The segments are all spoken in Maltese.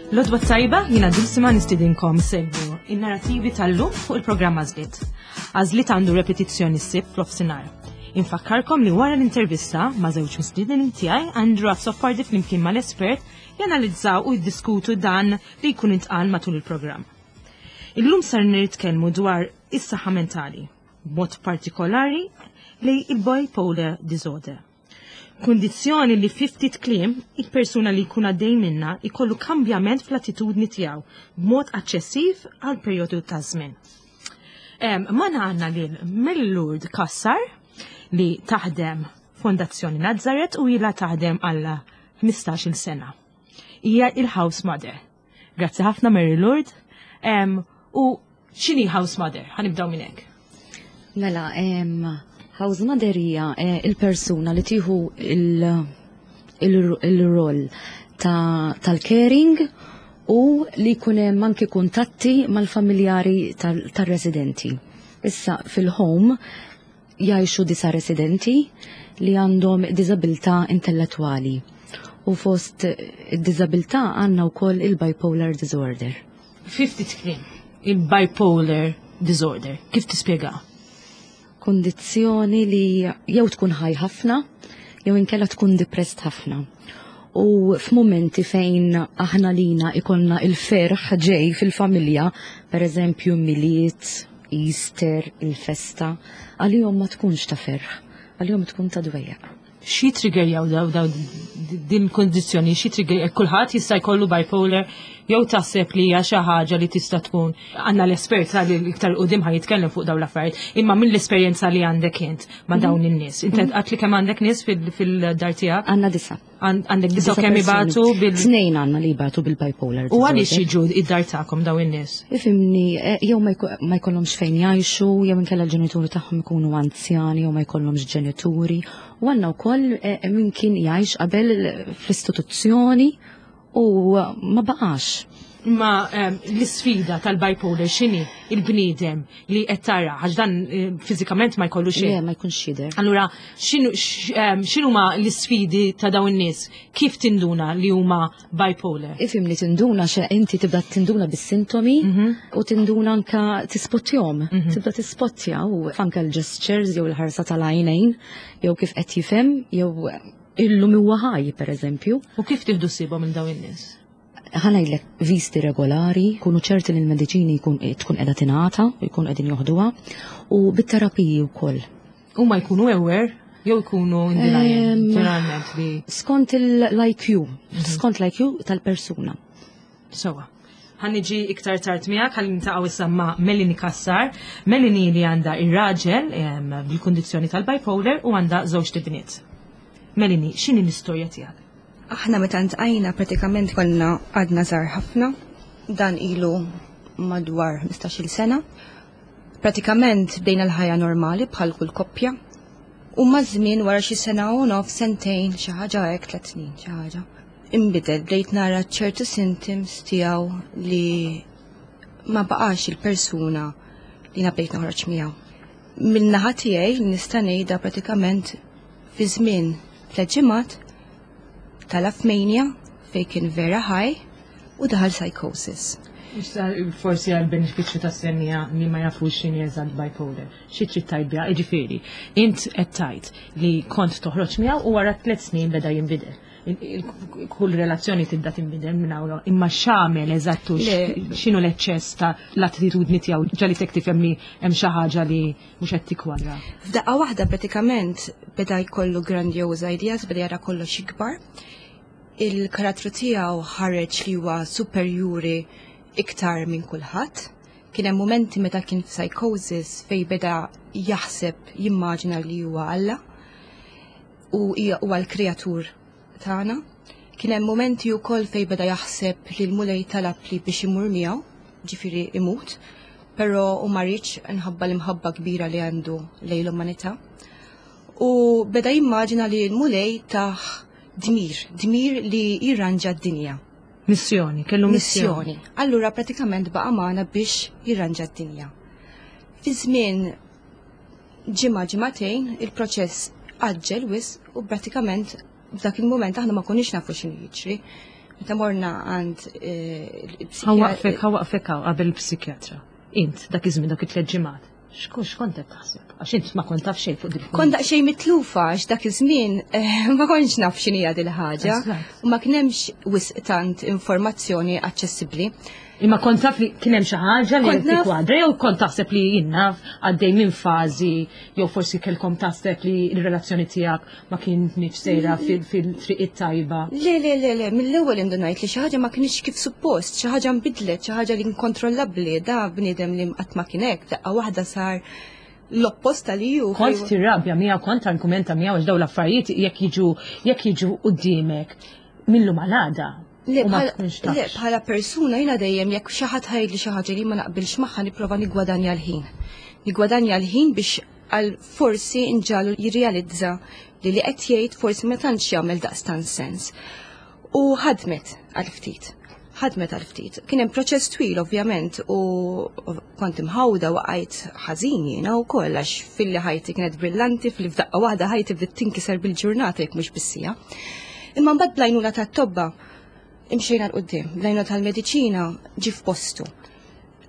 L-għodwa t-tajba jiena Dulcima nistidinkom segwu in-narrativi tal-lum fuq il-programm Għażliet. Għażliet għandu repetizzjoni s-Sibt fl-ofsinhar. Infakkarkom li wara l-intervista ma' żewġ mistidnin tiegħi Andrew Azzopardi flimkien mal-espert janalizzaw u jiddiskutu dan li jkun intqal matul il-programm. Illum sar nitkellmu dwar is-saħħa mentali, b'mod partikolari li il-bipolar disorder. Kundizzjoni li fi ftit kliem il-persuna li jkun għaddej minnha jkollu kambjament fl-attitudni tiegħu b'mod aċċessiv għal perjodu ta' żmien. Magħna għandna lil Mellurd Kassar li taħdem Fondazzjoni Nazzaret u ilha taħdem għal 15-il sena. Hija il-house mother. Grazzi ħafna Mary Lourdes. U x'inhi house mother? Ħanibdew minn hekk. Mela, house mother hija eh, il-persuna li tieħu il-rol tal-caring u li jkun hemm anki kuntatti mal-familjari tar-residenti. Issa fil-home jgħixu disa' residenti li għandhom diżabilità intellettwali. U fost id-diżabilità għandna wkoll il-bipolar disorder. Fi ftit kliem, il-bipolar disorder, kif tispjega? Kundizzjoni li jew tkun ħaj ħafna, jew inkella tkun depressed ħafna. U f'mumenti fejn aħna lina ikollna il-ferħ ġej fil-familja, per eżempju Milied, Easter, il-festa, għalihom ma tkunx ta' ferħ, għalihom tkun ta' dwejjaq. Xi triggerjaw daw daw din kondizzjoni, xi trigger kulħadd jista' jkollu bipolar jew taħseb li hija xi ħaġa li tista' tkun għandna l-espert li iktar qudiem ħa jitkellem fuq dawn l-affarijiet, imma mill-esperjenza li għandek int ma' dawn in-nies. Inti qatt li kemm għandek nies fil-dar tiegħek? Għandna disa'. Għandek disa' kemm ibatu bil. Tnejn għandna li jibatu bil-bipolar. U għaliex jiġu id-dar tagħkom dawn in-nies? Ifimni, eh, jew ma jkollhomx fejn jgħixu, jew inkella l-ġenituri tagħhom ikunu anzjani jew ma jkollhomx ġenituri. U għandna wkoll eh, min kien jgħix qabel fl-istituzzjoni u ma baqax. Imma ehm, l-isfida tal-bipolar x'inhi il-bniedem li qed tara għax dan eh, fiżikament ma jkollu xejn. Le, ma jkunx jidher. Allura ehm, x'inhuma l-isfidi ta' dawn in-nies? Kif tinduna li huma bipolar? Ifim li tinduna xe inti tibda tinduna bis-sintomi mhm. u tinduna anka tispottjom. Mhm. Tibda tispottja u anka l-gestures jew l-ħarsa tal-għajnejn jew kif qed jifhem jew illum huwa ħaj pereżempju. U kif tieħdu sibhom minn dawn in-nies? Ħa ngħidlek viżti regolari, kunu ċerti li l-mediċini jkun tkun qiegħda tingħata u jkun qegħdin joħduha u bit-terapiji wkoll. Huma jkunu aware jew jkunu in denial ġeneralment li. Skont l-IQ, mhm. skont l-IQ tal-persuna. Sewa. Ħa niġi iktar tard miegħek ħalli nintaqgħu issa ma' Melanie Kassar. Melanie li għandha ir-raġel bil-kundizzjoni tal-bipolar u għandha żewġ tibniet. Melanie, x'inhi l-istorja tiegħek? Aħna meta ntqajna pratikament konna għadna żgħar ħafna, dan ilu madwar 15-il sena. Pratikament bdejna l-ħajja normali bħal kull koppja. U maż-żmien wara xi sena u nof, sentejn, xi ħaġa hekk, tliet snin, xi ħaġa. Inbidel, bdejt nara ċertu symptoms tiegħu li ma baqax il-persuna li jiena bdejt noħroġ miegħu. Min-naħa tiegħi nista' ngħidha pratikament fi żmien tliet ġimgħat tala' f'mania fejn kien vera ħaj u daħal psychosis. Issa forsi għal benefiċċju tas-semmiegħa li ma jafux x'inhi eżatt bipolar. Xi trid tgħid biha? Jiġifieri, int qed tgħid li kont toħroġ miegħu u wara tliet snin beda jinbidel. Kull relazzjoni tibda tinbidel minn hawn imma x'għamel eżatt u x'inhu l-eċċess ta' l-attitudni tiegħu ġalitek tifhem li hemm xi ħaġa li mhux qed tikkwadra. F'daqqa waħda pratikament beda jkollu grandiose ideas, beda jara kollox ikbar. Il-karattru tiegħu ħareġ li huwa superjuri iktar minn kulħadd. Kien hemm mumenti meta kien f'psychosis fejn beda jaħseb jimmaġina li huwa Alla u huwa l-kreatur tagħna. Kien hemm mumenti wkoll fejn beda jaħseb li l-Mulej talab li biex imur miegħu, ġifieri imut, però hu ma riedx nħabba l-imħabba kbira li għandu lejn l-umanità. U beda jimmaġina li l-Mulej tah dmir, dmir li jirranġa d-dinja. Missjoni, kellu missjoni. Allura pratikament baqa' magħna biex jirranġa d-dinja. Fi żmien ġimgħa ġimagħtejn il-proċess għaġġel wisq u pratikament f'dak il-mument aħna ma konniex nafu x'inhu jiġri. Meta morna għand eh, il-psikjatra. Ħa nwaqqfek, ħa nwaqqfek qabel il-psikjatra. Int, dak iż-żmien dak it-tliet ġimgħat. X'kont qed taħseb? Għax int ma kont taf xejn fuq dik. Kont daqsxejn mitlufa għax dak iż-żmien eh, ma kontx naf x'inhi dil ħaġa u ma kien hemmx wisq tant informazzjoni aċċessibbli. Imma kont taf li kien hemm xi ħaġa li kwadra jew kont taħseb li jien naf għaddej minn fażi jew forsi kellkom taħseb li l-relazzjoni tiegħek ma kienx sejra fil-triq it-tajba. Le, le, le, le, mill-ewwel indunajt li xi ħaġa ma kienx kif suppost, xi ħaġa nbidlet, xi ħaġa li inkontrollabbli, da bniedem li qatt ma kien hekk, daqqa waħda sar l-oppost li ju. Kont tirrabja miegħu, kont argumenta miegħu għax dawn l-affarijiet jekk jiġu jekk jiġu quddiemek millu malada. Le, bħala persuna jiena dejjem jekk xi ħadd ħajdli xi ħaġa li ma naqbilx magħha nipprova nigwadanja l-ħin. Nigwadanja l-ħin biex għal forsi nġalu jirrealizza li li qed jgħid forsi ma tantx jagħmel daqstant sens. U ħadmet għal ftit. Ħadmet għal ftit. Kien hemm proċess twil ovvjament u kont imħawda waqajt ħażin jiena wkoll għax filli ħajti kienet brillanti fil f'daqqa waħda ħajti bdiet tinkiser bil-ġurnata jekk mhux bis-sija. Imma mbagħad bl-għajnuna tat-tobba imxejna 'l quddiem, bl-għajnuna tal-mediċina ġie f'postu.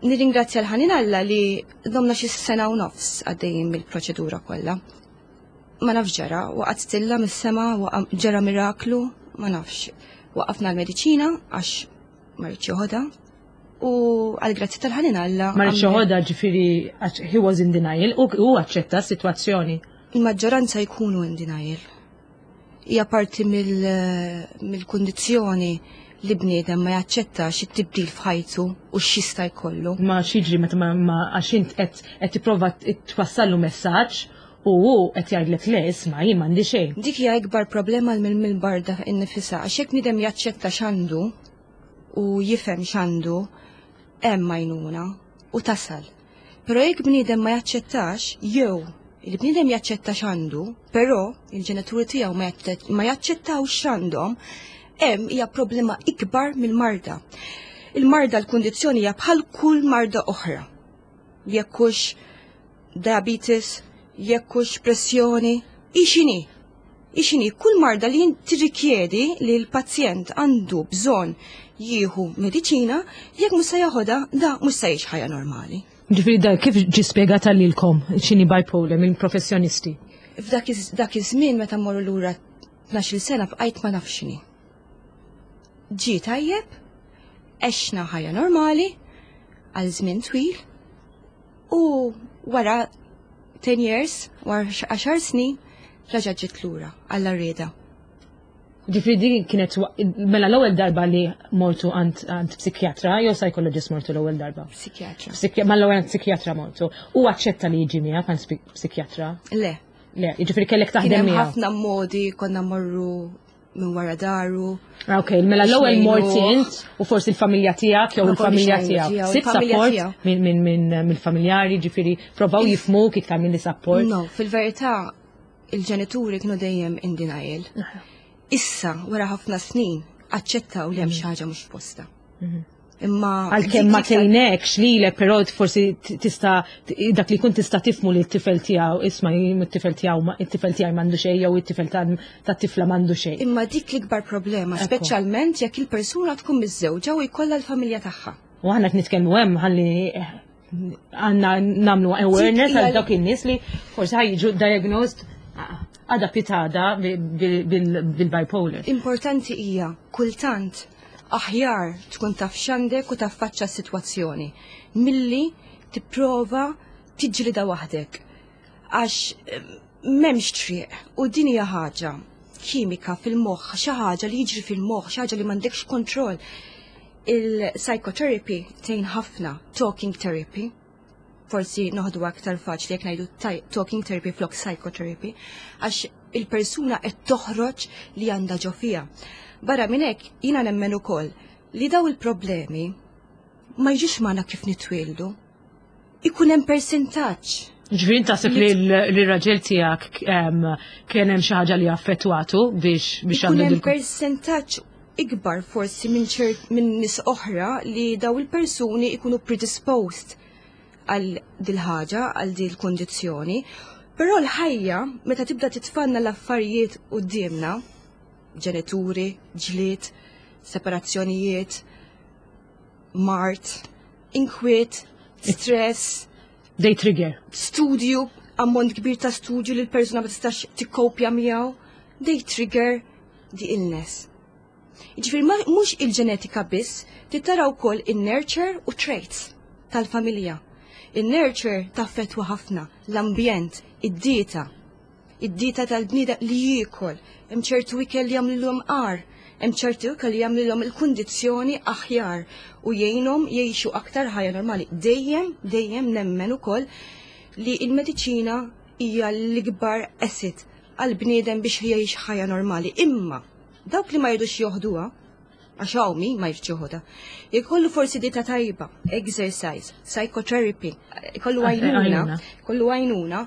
Nirringrazzja l-ħanin Alla li domna xi sena u nofs għaddejjin mill-proċedura kollha. Ma nafx ġara, waqgħet stilla mis-sema, ġara miraklu, ma nafx. Waqafna l-mediċina għax ma rridx joħodha u għal grazzi tal-ħanin Alla. Ma rridx joħodha ġifieri he was in denial u hu aċċetta s-sitwazzjoni. Il-maġġoranza jkunu in denial. Hija parti mill-kundizzjoni li bniedem ma jaċċettax it-tibdil f'ħajtu u x'jista' jkollu. Ma x'jiġri meta ma għax int qed tipprova twassallu messaġġ u hu qed jgħidlek le isma' jien m'għandi xejn. Dik hija ikbar problema mill-barda innifisha għax jekk bniedem jaċċetta x'għandu u jifhem x'għandu hemm għajnuna u tasal. Però jekk bniedem ma jaċċettax, jew il-bniedem jaċċetta x'għandu, però il-ġenituri tiegħu ma jaċċettawx x'għandhom, hemm hija problema ikbar mill-marda. Il-marda l-kundizzjoni hija bħal kull marda oħra. Jekk hux diabetes, jekk hux pressjoni, hi x'inhi. Hi x'inhi kull marda li tirrikjedi li l-pazjent għandu bżonn jieħu mediċina, jekk mhux se jaħodha, da mhux se jgħix ħajja normali. Ġifieri da kif ġie spjegata lilkom x'inhi bipolar minn professjonisti? F'dak dak iż-żmien meta mmorru lura 12-il sena bqajt ma nafx x'inhi. Ġie tajjeb, għexna ħajja normali għal żmien twil u wara 10 years, wara 10 snin, raġa' ġiet lura għall rieda. Ġifieri din kienet mela l-ewwel darba li mortu għand psikjatra jew psychologist mortu l-ewwel darba? Psikjatra. Ma l-ewwel għand psikjatra mortu. U aċċetta li jiġi miegħek għand psikjatra? Le. Le, jiġifieri kellek taħdem miegħu. Ħafna modi konna morru minn wara daru. Ah, ok, mela l-ewwel mort int u forsi l-familja tiegħek jew il-familja tiegħek. Sibt support minn mill-familjari, ġifieri provaw jifhmuk iktar minn li support. No, fil-verità il-ġenituri kienu dejjem in denial. Issa, wara ħafna snin, aċċettaw li hemm xi ħaġa mhux f'posta. Imma Għalkemm ma tgħinekx lilek, però forsi tista' dak li jkun tista' tifmu li t-tifel tiegħu isma' it-tifel tiegħu it-tifel tiegħi m'għandu xejn jew it-tifel tat-tifla m'għandu xejn. Imma dik l-ikbar problema, speċjalment jekk il-persuna tkun miżżewġa u jkollha l-familja tagħha. U aħna qed nitkellmu hemm ħalli għandna nagħmlu awareness għal dawk in-nies li forsi ħa jiġu diagnosed għada pitada bil-bipolar. Importanti hija kultant aħjar tkun taf x'għandek u taffaċċa s-sitwazzjoni milli tipprova tiġġlida waħdek. Għax m'hemmx triq u din hija ħaġa kimika fil-moħħ, xi ħaġa li jiġri fil-moħħ, xi ħaġa li m'għandekx kontroll. Il-psychotherapy tgħin ħafna, talking therapy. Forsi noħdu aktar faċli jekk ngħidu talking therapy flok psychotherapy, għax il-persuna qed toħroġ li għandha ġo fiha. Barra minn hekk jiena nemmen ukoll li daw il-problemi ma jiġux magħna kif nitwieldu. Ikun hemm persentaġġ. Ġifieri taħseb li l-raġel tiegħek kien hemm xi ħaġa li affettwatu biex biex għandu hemm persentaġġ ikbar forsi minn ċert minn nies oħra li daw il-persuni ikunu predisposed għal dil-ħaġa, għal dil-kondizzjoni. Però l-ħajja, meta tibda titfanna l-affarijiet quddiemna, ġenituri, ġlied, Separazzjonijiet, mard, inkwiet, stress. They trigger. Studju, ammont kbir ta' studju li l-persuna ma tistax tikkopja miegħu. They trigger the illness. Jiġifieri mhux il-ġenetika biss, trid tara wkoll in-nurture u traits tal-familja. In-nurture taffettwa ħafna l-ambjent, id-dieta. Id-dieta tal-bniedem li jiekol, hemm ċertu ikel li jagħmlilhom agħar, hemm ċertu ikel li jagħmlilhom il-kundizzjoni aħjar u jgħinhom jgħixu aktar ħajja normali. Dejjem, dejjem nemmen ukoll li l-mediċina hija l-ikbar asset għall-bniedem biex jgħix ħajja normali. Imma dawk li ma jridux joħduha, għax hawn min ma jridx joħodha, jkollu forsi dieta tajba, exercise, psychotherapy, jkollu għajnuna, jkollu għajnuna,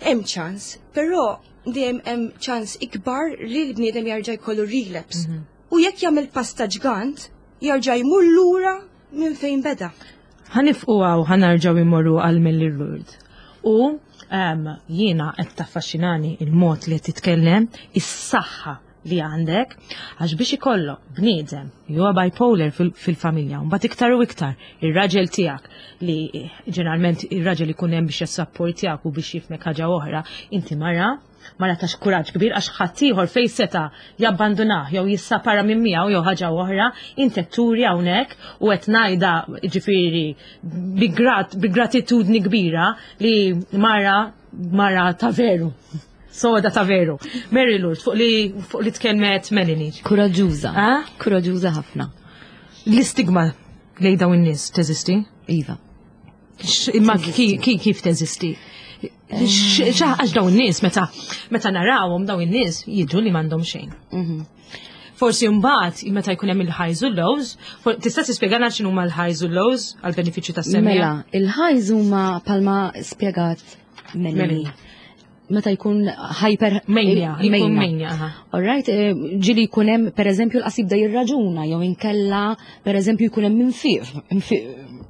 hemm ċans, però dejjem hemm ċans ikbar li l-bniedem jarġa' jkollu relapse. Mhm. U jekk jagħmel pasta ġgant, jarġa' jmur lura minn fejn beda. Ħanifqu għaw ħanarġaw immorru għal Melli Lourdes. U jiena qed taffaxxinani il-mod li qed titkellem, is-saħħa li għandek, għax biex ikollok bniedem li huwa bipolar fil-familja, mbagħad iktar u iktar ir-raġel tiegħek li ġeneralment ir-raġel ikun hemm biex jassapportjak u biex jifmek ħaġa oħra, inti mara mara ta' kuraġġ kbir għax ħaddieħor fejn seta' jabbandunah jew jissapara minn miegħu jew ħaġa oħra, inti qed turi hawnhekk u qed ngħidha ġifieri bi gratitudni kbira li mara mara ta' veru. Soda ta' veru. Mary Lourdes, fuq li fuq li tkellmet Melanie. Kuraġġuża. Kuraġġuża ħafna. L-istigma lejn dawn in-nies teżisti? Iva. Imma kif teżisti? Għax dawn in-nies meta meta narawhom dawn in-nies jidhru li m'għandhom xejn. Mhm. Forsi mbagħad meta jkun hemm il-highs u lows, tista' tispjegana x'inhuma l-highs u lows għal benefiċċju tas-semmiegħa? Mela, il-highs huma palma spjegat Melanie. Meta jkun hyper mania, jkun mania. All right, eh, ġili jkun hemm pereżempju l-qasib da jirraġuna jew inkella pereżempju jkun hemm infiq,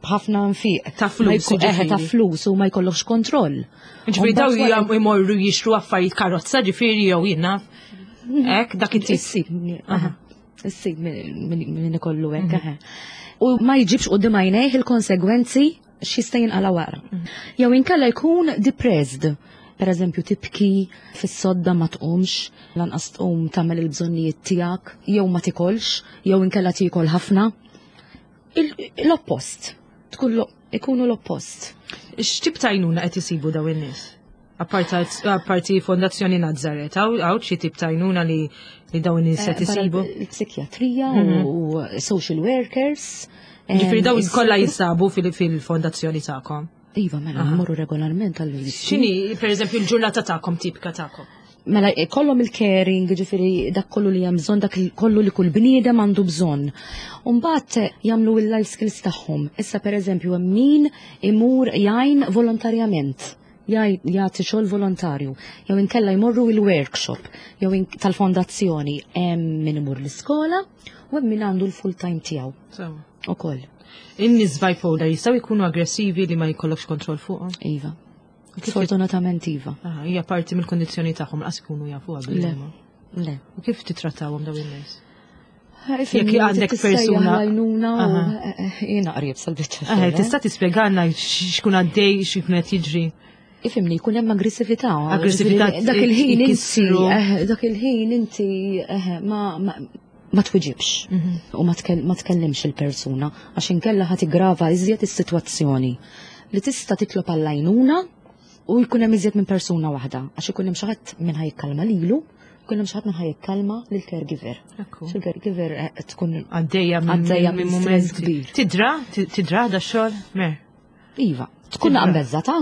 ħafna nfiq. Ta' flus. Eh, ta' flus u ma jkollokx kontroll. Ġifieri daw jmorru jixtru affarijiet karozza ġifieri jew jiena. Ek, dak it-tip. Issib min ikollu hekk. Mhm. U ma jġibx quddiem għajnejh il-konsegwenzi x'jista' jinqala wara. Mhm. Jew inkella jkun depressed. Per eżempju, tibki fis-sodda ma tqumx, lanqas tqum tagħmel il-bżonnijiet tiegħek, jew ma tikolx, jew inkella tiekol ħafna. L-oppost. Tkun ikunu l-oppost. X'tip ta' għajnuna qed isibu dawn in-nies? Apparti Fondazzjoni Nazzaret, hawn xi tip ta' għajnuna li li dawn in-nies qed eh, isibu? Il-psikjatrija mhm. u social workers. Ġifieri dawn kollha jinsabu fil-fondazzjoni tagħkom. Iva, mela, mmorru regolarment għall X'inhi, pereżempju, l-ġurnata tagħkom tipika tagħkom? Mela, kollhom il-caring, ġifieri dak kollu li hemm bżonn, dak kollu li kull bniedem għandu bżonn. Umbagħad eh, jagħmlu il-life skills tagħhom. Issa pereżempju hemm min imur jgħin volontarjament jagħti xogħol volontarju, jew inkella jmorru il-workshop, jew tal-fondazzjoni hemm min imur l-iskola u hemm min għandu l-full time tiegħu. Ukoll. In-nies bipolar jistgħu jkunu aggressivi li ma jkollokx kontroll fuqhom? Iva. Sfortunatament iva. Ah, hija parti mill-kondizzjoni tagħhom laqas ikunu jafu Le. Le. U kif titrattawhom dawn in-nies? Jekk għandek persuna. Għajnuna u eh, eh, jiena qrib sal-biċċa. Eh, tista' tispjegana x'kun għaddej, x'kun qed jiġri. Ifimni, jkun hemm aggressività. Aggressività. Dak il-ħin inti, dak il-ħin inti ma ma twiġibx mhm. u ma tkellimx il-persuna għax inkella ħa tigrava iżjed is-sitwazzjoni li tista' titlob għall-għajnuna u jkun hemm iżjed minn persuna waħda għax ikun hemm xi ħadd minn ħajkalma lilu jkun hemm xi ħadd minn ħajkalma lill-caregiver. Il-caregiver eh, tkun għaddejja minn stress kbir. Tidra, tidra da xogħol, mer. Iva, tkun naqbezza ta'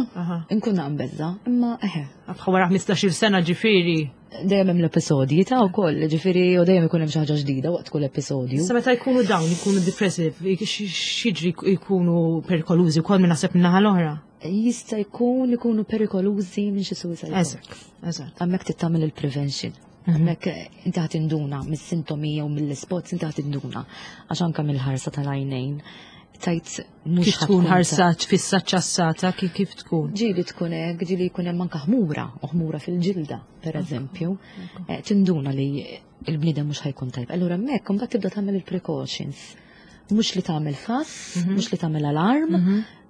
nkun naqbezza, imma eħe. Bħal wara 15-il sena ġifieri. Dejjem hemm l-episodji ta' wkoll, ġifieri u dejjem ikun hemm xi ħaġa ġdida waqt kull episodju. Sa meta jkunu dawn ikunu depressive, x'jiġri jkunu perikolużi wkoll minn naħseb min-naħa l-oħra. Jista' jkun ikunu perikolużi minn xi suicide. Eżatt, eżatt. Hemmhekk trid tagħmel il-prevention. Mhm. Hemmhekk eh, inti ħadd induna mis-sintomi jew mill-ispots inti ħadd induna għax anke mill-ħarsa tal-għajnejn tajt mhux kif tkun ħarsa fissa ċassata kif tkun. Ġieli tkun hekk, ġieli jkun hemm anke ħmura, u ħmura fil-ġilda, pereżempju. Eh, tinduna li Il-bniedem mhux ħajkun tajb. Allura hemmhekk imbagħad tibda tagħmel il-precautions. Mhux li tagħmel fass, mhux li tagħmel alarm,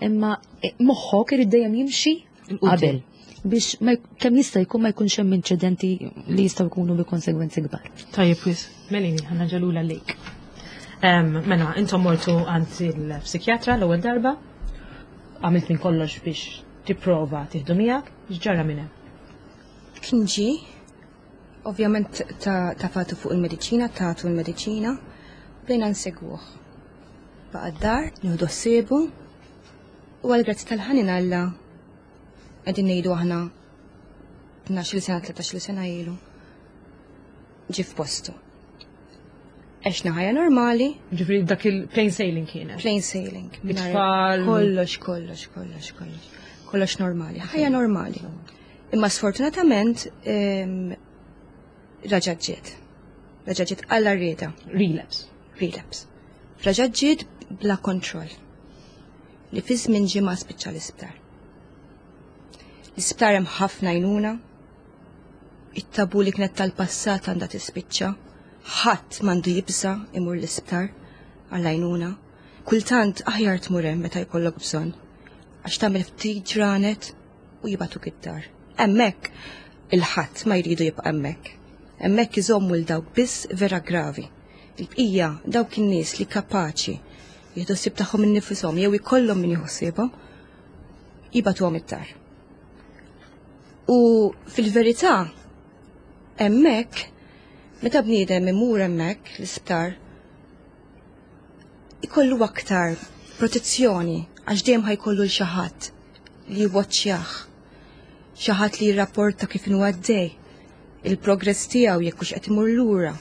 imma moħħok irid dejjem jimxi qabel biex kemm jista' jkun ma jkunx hemm inċidenti li jistgħu jkunu bi konsegwenzi kbar. Tajjeb wis, Melini, ħanna ġalula lejk. Mela, intom mortu għand il-psikjatra l-ewwel darba, għamilt minn kollox biex tipprova tieħdu miegħek, x'ġara minn hemm? Kien ġie, ovvjament tafatu fuq il-mediċina, tatu l-mediċina, bdejna nsegwuh. Baqa' d-dar, nieħdu ħsiebu, u għall-grazzi tal-ħanin Alla qegħdin ngħidu aħna 12 sena, 13 sena ilu ġie f'postu. Għexna ħajja normali. Ġifieri dak il-plain sailing kienet. Plain sailing. It-tfal. Kollox, kollox, kollox, kollox. Kollox normali. Ħajja normali. Imma sfortunatament raġa' ġiet. Raġa' ġiet għalla rieda. Relapse. Relapse. Raġa' ġiet bla kontroll. Li fi żmien ġimgħa spiċċa l-isptar. L-isptar hemm ħafna għajnuna. It-tabu li kienet tal-passat għandha tispiċċa. Ħadd m'għandu jibża' imur l-isptar għall-għajnuna. Kultant aħjar tmur hemm meta jkollok bżonn. Għax tagħmel ftit ġranet u jibgħatuk id-dar. Hemmhekk il-ħadd ma jridu jibqa' hemmhekk. Hemmhekk iżommu l dawk biss vera gravi. Il-bqija dawk in-nies li kapaċi jieħdu ħsieb tagħhom innifishom jew ikollhom min jieħu ħsiebhom jibgħatuhom id-dar. U fil-verità hemmhekk meta bniedem imur hemmhekk l-isptar ikollu aktar protezzjoni għax dejjem ħajkollu l xi ħadd li jwaċċjah, xi ħadd li jirrapporta kif inhu għaddej, il-progress tiegħu jekk hux qed imur lura.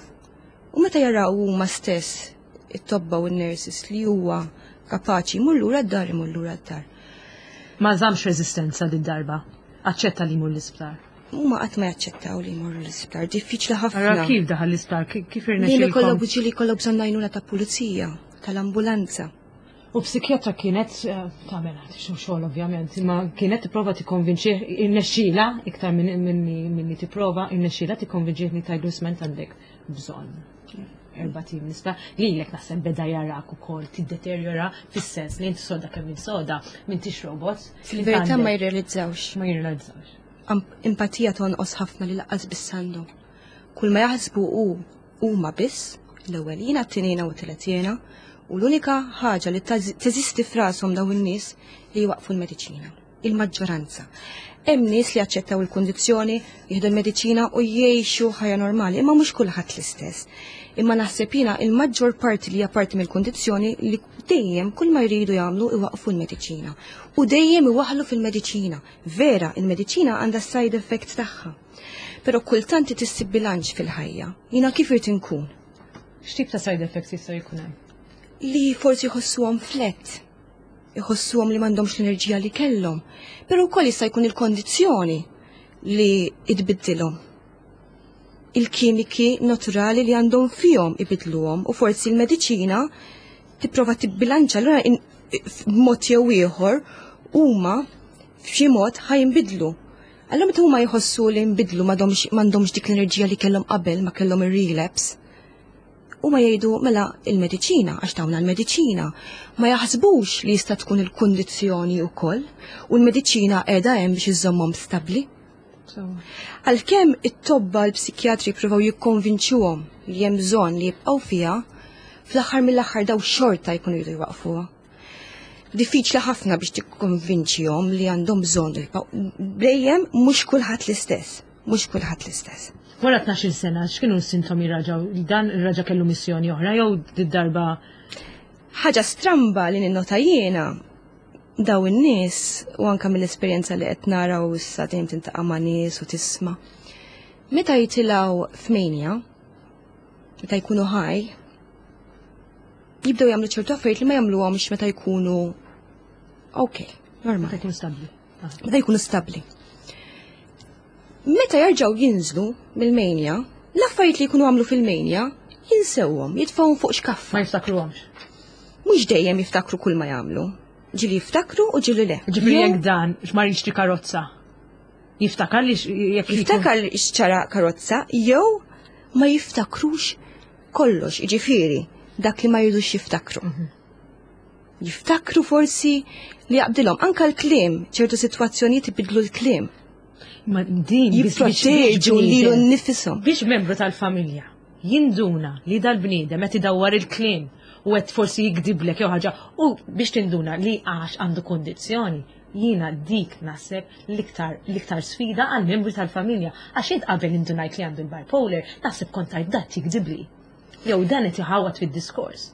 U meta jaraw huma stess it-tobba u n-nurses li huwa kapaċi jmur lura d-dar imur lura d-dar. Ma żammx reżistenza din darba. Aċċetta li jmur l-isptar. Huma qatt ma jaċċettaw li jmorru l-isptar, diffiċli ħafna. Ara kif daħal l-isptar, kif Li irnexxielkom? kollok ġieli jkollok bżonn għajnuna ta' pulizija, tal-ambulanza. U psikjatra kienet eh, tagħmel xi xogħol ovvjament, imma kienet tipprova tikkonvinċih irnexxiela iktar minn minni tipprova irnexxiela tikkonvinċih li tajdu sment għandek bżonn. Erba' tim nisba lilek naħseb beda jarak ukoll tiddeterjora fis-sens li inti soda kemm minn soda, m'intix robot. Fil-verità ma jirrealizzawx. Ma jirrealizzawx. Empatija tonqos ħafna li laqqas biss għandhom. Kull ma jaħsbu hu huma biss, l-ewwel jiena, t-tieni jiena u t-tielet jiena, u l-unika ħaġa li teżisti f'rashom dawn in-nies li jwaqfu l-mediċina. Il-maġġoranza. Hemm nies li jaċċettaw il-kundizzjoni, jieħdu l-mediċina u jgħixu ħajja normali, imma mhux kulħadd l-istess. Imma naħseb jiena il-maġġor parti li hija parti mill-kundizzjoni li dejjem kull ma jridu jagħmlu iwaqfu l-mediċina. U dejjem iwaħħlu fil-mediċina. Vera, il-mediċina għandha side effects tagħha. Però kultant tissib bilanċ fil-ħajja. Jiena kif irid inkun? X'tip ta' side effects jistgħu jkun hemm? Li forsi jħossuhom flat, iħossuhom li m'għandhomx l-enerġija li kellhom, però wkoll jista' jkun il-kondizzjoni li tbiddilhom. Il-kimiki naturali li għandhom fihom ibidluhom u forsi l-mediċina tipprova tibbilanċa allura b'mod jew ieħor huma f'xi mod ħa jinbidlu. Allura meta huma jħossu li nbidlu m'għandhomx dik l-enerġija li kellhom qabel ma kellhom ir-relapse, huma jgħidu mela il-mediċina għax tawna l-mediċina. Ma jaħsbux li jista' tkun il-kundizzjoni wkoll u l-mediċina qiegħda hemm biex iżżommhom stabbli. Għalkemm it-tobba l-psikjatri jippruvaw jikkonvinċuhom li hemm bżonn li jibqgħu fiha, fl-aħħar mill-aħħar daw xorta jkunu jridu jwaqfuha. Diffiċli ħafna biex tikkonvinċihom li għandhom bżonn jibqgħu. Dejjem mhux kulħadd l-istess, mhux kulħadd l-istess. Wara 12 sena, x'kienu s-sintomi raġaw? Dan ir-raġa kellu missjoni oħra jew darba Ħaġa stramba li ninnota jiena daw in-nies u anka mill-esperjenza li qed naraw issa dejjem tintaqa' ma' nies u tisma'. Meta jitilgħu f'mania, meta jkunu ħaj, jibdew jagħmlu ċertu affarijiet li ma jagħmluhomx meta jkunu ok, normali. Meta jkunu stabbli. Meta jkunu stabbli. Meta jerġgħu jinżlu mill-mania, l-affarijiet li jkunu għamlu fil-mania jinsewhom, jitfgħuhom fuq xkaffa. Ma jiftakruhomx. Mhux dejjem jiftakru kull ma jagħmlu. Ġieli jiftakru u ġieli le. Ġifieri jekk dan x'ma jixtri karozza. Jiftakar li jekk jiftakar li xċara karozza jew Ma jiftakrux kollox, jiġifieri dak li ma jridux jiftakru. Jiftakru forsi li jaqbdilhom anka l-kliem, ċertu sitwazzjonijiet ibidlu l-kliem. Ma din jipproteġu lilu nnifisom. Biex membru tal-familja jinduna li dal-bniedem qed idawwar il-kliem u qed forsi jikdiblek jew ħaġa u biex tinduna li għax għandu kondizzjoni jiena dik naħseb l-iktar l-iktar sfida għal membri tal-familja għax int qabel indunajt li għandu l-bipolar naħseb kont tgħid dat jikdibli. Jew dan qed iħawad fid-diskors.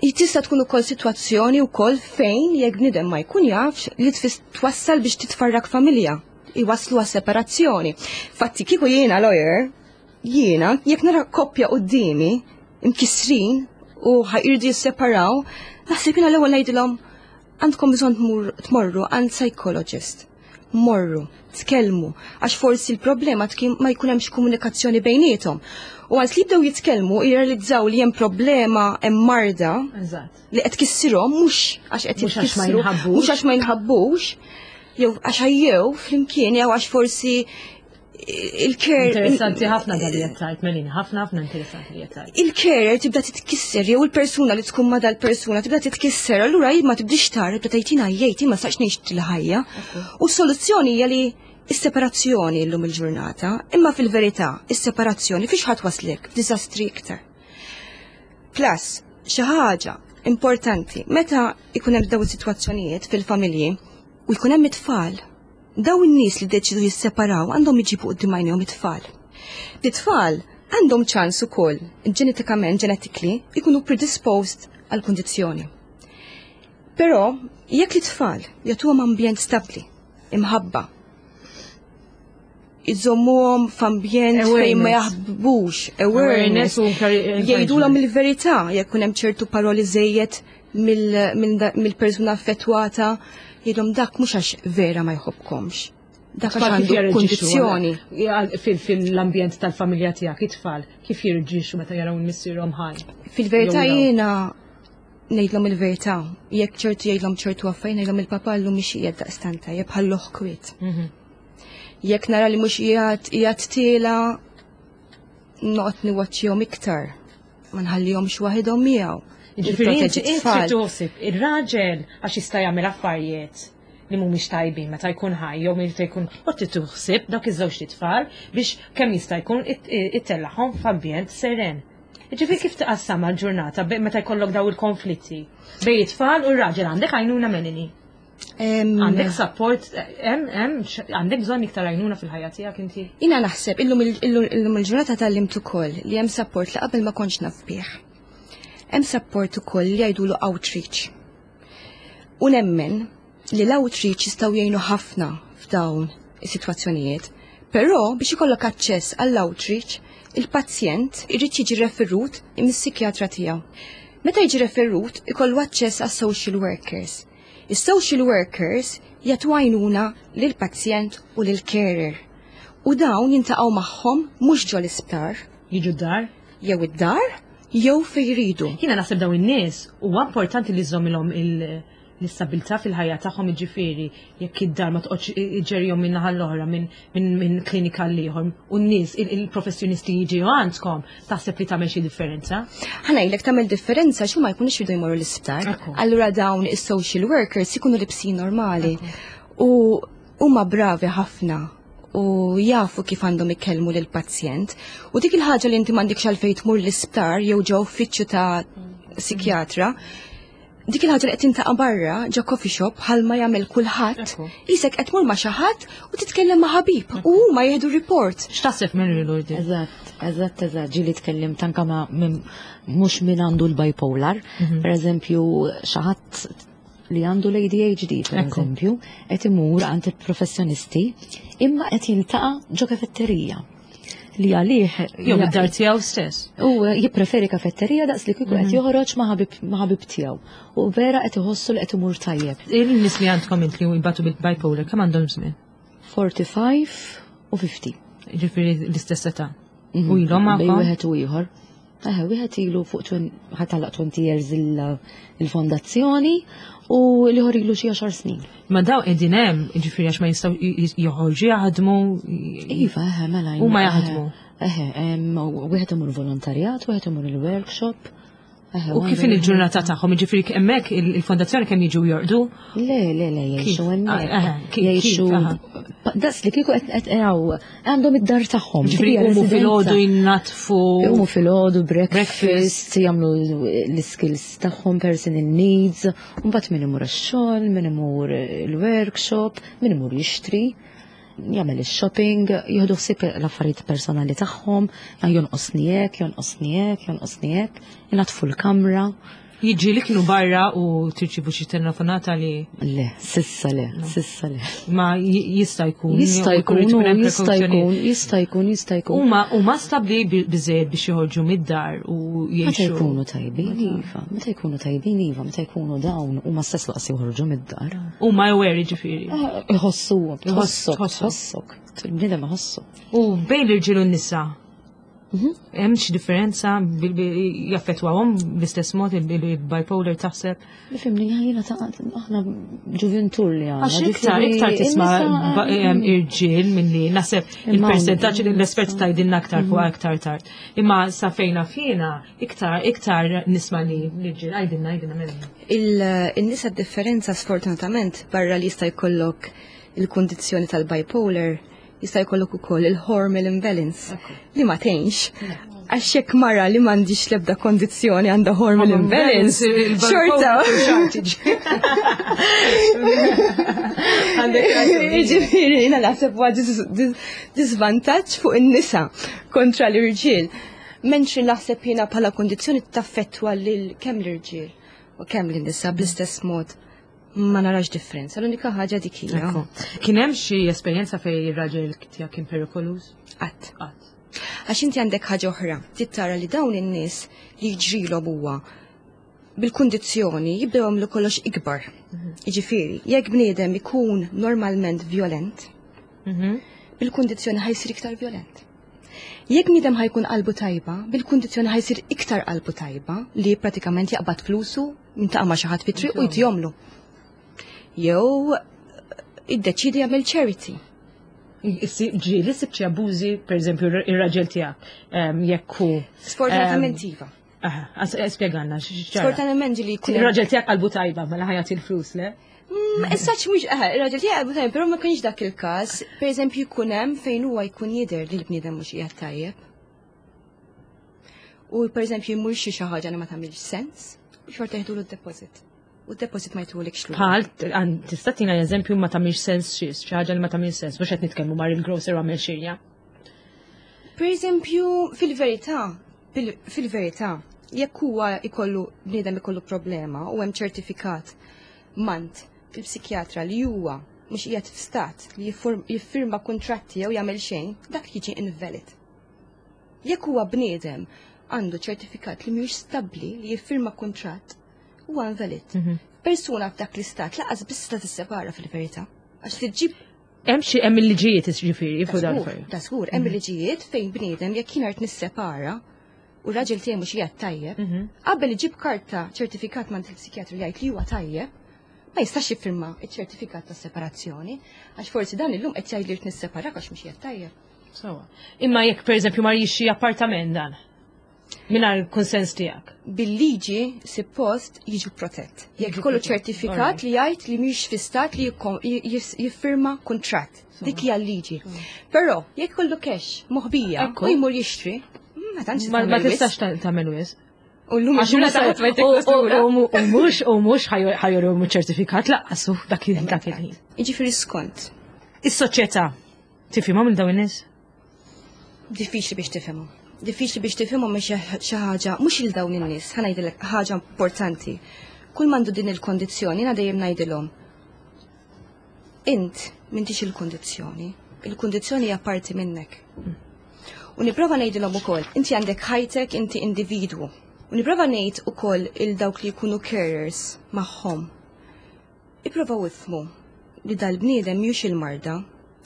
Tista' tkun ukoll sitwazzjoni wkoll fejn jekk bniedem ma jkun jafx li twassal biex titfarrak familja, iwasslu għas separazzjoni. Fatti kieku jiena lawyer, jiena jekk nara koppja quddiemi imkissrin u ħajrdu jisseparaw, naħseb jiena l-ewwel ngħidilhom għandkom bżonn tmorru għand psychologist. Morru, tkellmu, għax forsi l-problema ma jkun hemmx komunikazzjoni bejniethom. U għals li jibdew jitkellmu jirrealizzaw li hemm problema hemm marda li qed tkissirhom mhux għax qed jitkissru, mhux għax ma jinħabbux, jew għax ħajjew flimkien jew għax forsi il-care. Interessanti ħafna dan li qed Melina, ħafna ħafna interessanti li qed Il-carer tibda titkisser jew il-persuna li tkun ma dal-persuna tibda titkisser, allura ma tibdix tara, tibda tgħid jgħid ma sax ngħix il-ħajja. U s-soluzzjoni hija li is-separazzjoni llum il-ġurnata, imma fil-verità is-separazzjoni fiex ħadd waslek f'diżastri iktar. Plus, xi ħaġa importanti, meta ikun hemm dawn is-sitwazzjonijiet fil-familji u jkun hemm it-tfal Dawn in-nies li ddeċiedu jisseparaw għandhom iġibu quddiem għajnejhom it-tfal. It-tfal għandhom ċans ukoll, ġenetikament, genetically, ikunu predisposed għall-kundizzjoni. Però, jekk it-tfal jagħtuhom ambjent stabbli, imħabba, iżommuhom f'ambjent fejn ma jaħbux, awareness, jgħidulhom il-verità jekk hemm ċertu paroli żejjed mill-persuna affettwata jgħidhom dak mhux għax vera ma jħobbkomx. Dak għax għandu kundizzjoni. Fil-ambjent tal-familja tiegħek it-tfal kif jirġixxu meta jaraw missierhom ħaj? Fil-verità jiena ngħidlhom il-verità. Jekk ċertu jgħidlhom ċertu affarijiet ngħidlhom il-papa llum mhix qiegħed daqstant tajjeb ħalluh kwiet. Mhm. Jekk nara li mhux qiegħed qiegħed tiela noqgħod niwaċċihom iktar. Ma nħallihomx waħidhom miegħu. Ġifieri inti tħossib ir-raġel għax jista' jagħmel affarijiet li mhumiex tajbin meta jkun ħaj jew meta jkun u titħsib dak iż-żewġ tfal biex kemm jista' jkun ittellagħhom f'ambjent seren. Ġifieri kif tqassam għal-ġurnata meta jkollok daw il-konflitti bej it-tfal u r-raġel għandek għajnuna Melanie? Għandek support, hemm għandek bżonn iktar għajnuna fil-ħajja tiegħek inti? Jiena naħseb illum il-ġurnata tgħallimt ukoll li hemm support li qabel ma kontx naf bih. Hemm support ukoll li jgħidulu outreach. U nemmen li l-outreach jistgħu jgħinu ħafna f'dawn is-sitwazzjonijiet. Però biex ikollok aċċess għall-outreach, il-pazjent irid jiġi referut mis-psikjatra tiegħu. Meta jiġi referut, ikollu aċċess għas-social workers. Is-social workers jagħtu għajnuna lill-pazjent u lill-carer. U dawn jintaqgħu magħhom mhux ġol-isptar. Jiġu d-dar? Jew id-dar, jew fejn jridu. Jiena naħseb dawn in-nies huwa importanti li żżommilhom l-istabilità fil-ħajja tagħhom jiġifieri jekk id-dar ma toqgħodx iġġerihom minn naħa l-oħra minn klinika għal ieħor u n-nies il-professjonisti jiġu għandkom taħseb li tagħmel xi differenza? Ħa ngħidlek tagħmel differenza xi ma jkunux jridu jmorru l-isptar. Allura dawn is-social workers ikunu libsin normali u huma bravi ħafna u jafu kif għandhom ikellmu lil pazjent u dik il-ħaġa li inti m'għandikx għalfejn tmur l-isptar jew ġo uffiċċju ta' psikjatra dik il-ħaġa li qed tintaqa' barra ġo coffee shop bħalma jagħmel kulħadd, isek qed tmur ma' xi ħadd u titkellem ma' ħabib u huma jieħdu report. X'taħseb minn Lurdi? Eżatt, eżatt, eżatt, ġieli tkellimt anke ma' mhux min għandu l-bipolar, mhm. per eżempju xi ħadd li għandu l-ADHD, per eżempju, qed imur għand il-professjonisti imma qed jiltaqa' ġo kafetterija li għalih. Jew id-dar tiegħu stess. U jippreferi kafetterija daqs li kieku qed mhm. joħroġ ma' ħabib tiegħu. U vera qed iħossu li qed imur tajjeb. Il-nies li għandkom int li jbatu bil-bipolar kemm għandhom żmien? 45 u 50. Ġifieri l-istess età. Mhm. U ilhom magħkom? Bejn wieħed u ieħor. Eħe, wieħed ilu fuq ħatalaq 20 years il-fondazzjoni u l-ieħor ilu xi 10 snin. Ma daw qegħdin hemm, jiġifieri għax ma jistgħu joħorġu jaħdmu. Iva, eħe, mela. Huma jaħdmu. Eħe, wieħed imur volontarjat, wieħed imur il-workshop. U kif il-ġurnata tagħhom, jiġifieri hemmhekk il-fondazzjoni kemm jiġu jorqdu? Le, le, le, jgħixu hemmhekk. Ah, jgħixu. Daqs li kieku qed għandhom id-dar tagħhom. Jiġifieri jqumu filgħodu jinnatfu. Jqumu filgħodu breakfast, jagħmlu l-skills tagħhom personal needs, u mbagħad min imur ix-xogħol, min imur il-workshop, min imur jixtri jagħmel ix-shopping, jieħdu ħsieb l-affarijiet personali tagħhom, jonqosni hekk, jonqosni hekk, jonqosni hekk, inaddfu l-kamra. Jiġi li kienu barra u tirċivu xi telefonata li. Le, sissa le, sissa le. Ma jista' jkun. Jista' jkun, jista' jkun, jista' jkun, jista' jkun. Huma huma stabbli biżejjed biex joħorġu mid-dar u jgħixu. Meta jkunu tajbin, iva, meta jkunu tajbin, iva, meta jkunu dawn huma stess laqas joħorġu mid-dar. Huma aware ġifieri. Eh, iħossu, tħossok, tħossok, il-bniedem iħossu. U bejn l-irġiel u n-nisa, mhm. hemm xi differenza jaffettwahom bl-istess mod il-bipolar taħseb? Nifhimni jiena ta' aħna ġuventur li għandna. Għax iktar iktar tisma' irġiel milli naħseb il-persentaġġ li l-espert tgħidilna aktar fuq mhm. aktar tard. Imma sa fejna fina iktar iktar nisma' li l-irġiel għajdilna għajdilna minn. Il-nisa differenza sfortunatament barra li jista' jkollok il-kundizzjoni tal-bipolar jista' jkollok ukoll il-hormonal imbalance li ma tgħinx. Għax jekk mara li m'għandix l-ebda kondizzjoni għandha hormonal imbalance, xorta. Ġifieri jiena naħseb huwa disvantaġġ fuq in-nisa kontra l-irġiel. Mentri naħseb jiena bħala kondizzjoni taffettwa lil kemm l-irġiel u kemm lin-nisa bl-istess mod ma narax differenza. L-unika ħaġa dik hija. Kien hemm xi esperjenza fejn ir-raġel tiegħek kien perikoluż? Qatt. Qatt. Għax inti għandek ħaġa oħra, trid tara li dawn in-nies li jiġrilhom huwa bil-kundizzjoni jibdew jagħmlu kollox ikbar. Jiġifieri, jekk bniedem ikun normalment violent, bil-kundizzjoni ħa jsir iktar violent. Jekk bniedem ħa jkun qalbu tajba, bil-kundizzjoni ħa jsir iktar qalbu tajba li pratikament jaqbad flusu jintaqa' ma' xi ħadd fit-triq u jtihomlu. Jew iddeċidi jagħmel charity. Ġieli sibt xi abbużi, per eżempju, ir-raġel tiegħek jekk hu. Sfortunatament iva. Spjegalna Sfortunatament ġieli jkun. Ir-raġel tiegħek qalbu tajba, mela ħa jagħti l-flus, le? Issa mhux ir-raġel tiegħek qalbu tajba, però ma kienx dak il-każ. Per eżempju jkun hemm fejn huwa jkun jidher li l-bniedem mhux qiegħed tajjeb. U per eżempju jmur xi xi ħaġa li ma tagħmilx sens, u xorta jieħdulu d-deposit. U d-deposit ma jtulikx lura. Bħal, tista' tina eżempju ma tagħmilx sens xi xi ħaġa li ma tagħmilx sens, mhux qed nitkellmu mar il-grocer u għamel xirja. Per eżempju, fil-verità, fil-verità, jekk huwa ikollu bniedem ikollu problema u hemm ċertifikat mant il-psikjatra li huwa mhux qiegħed f'stat li jiffirma kuntratti jew jagħmel xejn, dak jiġi invalid. Jekk huwa bniedem għandu ċertifikat li mhux stabbli li jiffirma kuntratt, huwa invalid. Persuna f'dak l-istat lanqas biss ta' tissepara fil-verità. Għax li ġib Hemm xi hemm il-liġijiet ġifieri fuq dan Ta' żgur, hemm il-liġijiet fejn bniedem jekk jien art nissepara u raġel tiegħi mhux qiegħed tajjeb, qabel iġib karta ċertifikat mant il-psikjatru jgħid li huwa tajjeb, ma jistax jiffirma iċ-ċertifikat ta' separazzjoni, għax forsi dan illum qed jgħid li rrid nisseparak għax mhux qiegħed tajjeb. Sawa. Imma jekk pereżempju mar jixtri appartament dan mingħajr konsens tiegħek. Bil-liġi suppost jiġu protett. Jekk kollu ċertifikat li jgħid li mhix fi stat li jiffirma kuntratt. Dik hija l-liġi. Però jekk kollu cash moħbija u jmur jixtri, ma tantx Ma tistax tagħmel wisq. U llum Għax u mhux u mhux ħa juru ċertifikat lanqas dak il-ħin. Jiġifieri skont. Is-soċjetà tifhimhom il dawn in-nies? Diffiċli biex tifhimhom. Diffiċli biex tifhimhom mhix xi ħaġa, mhux il dawn in-nies, ħa ngħidilek ħaġa importanti. Kull m'għandu din il-kondizzjoni, jiena dejjem ngħidilhom. Int m'intix il-kondizzjoni, il-kondizzjoni hija parti minnek. U nipprova ngħidilhom ukoll, inti għandek ħajtek, inti individwu. U nipprova ngħid ukoll il dawk li jkunu carers magħhom. Ipprovaw ifhmu li dal-bniedem mhux il-marda,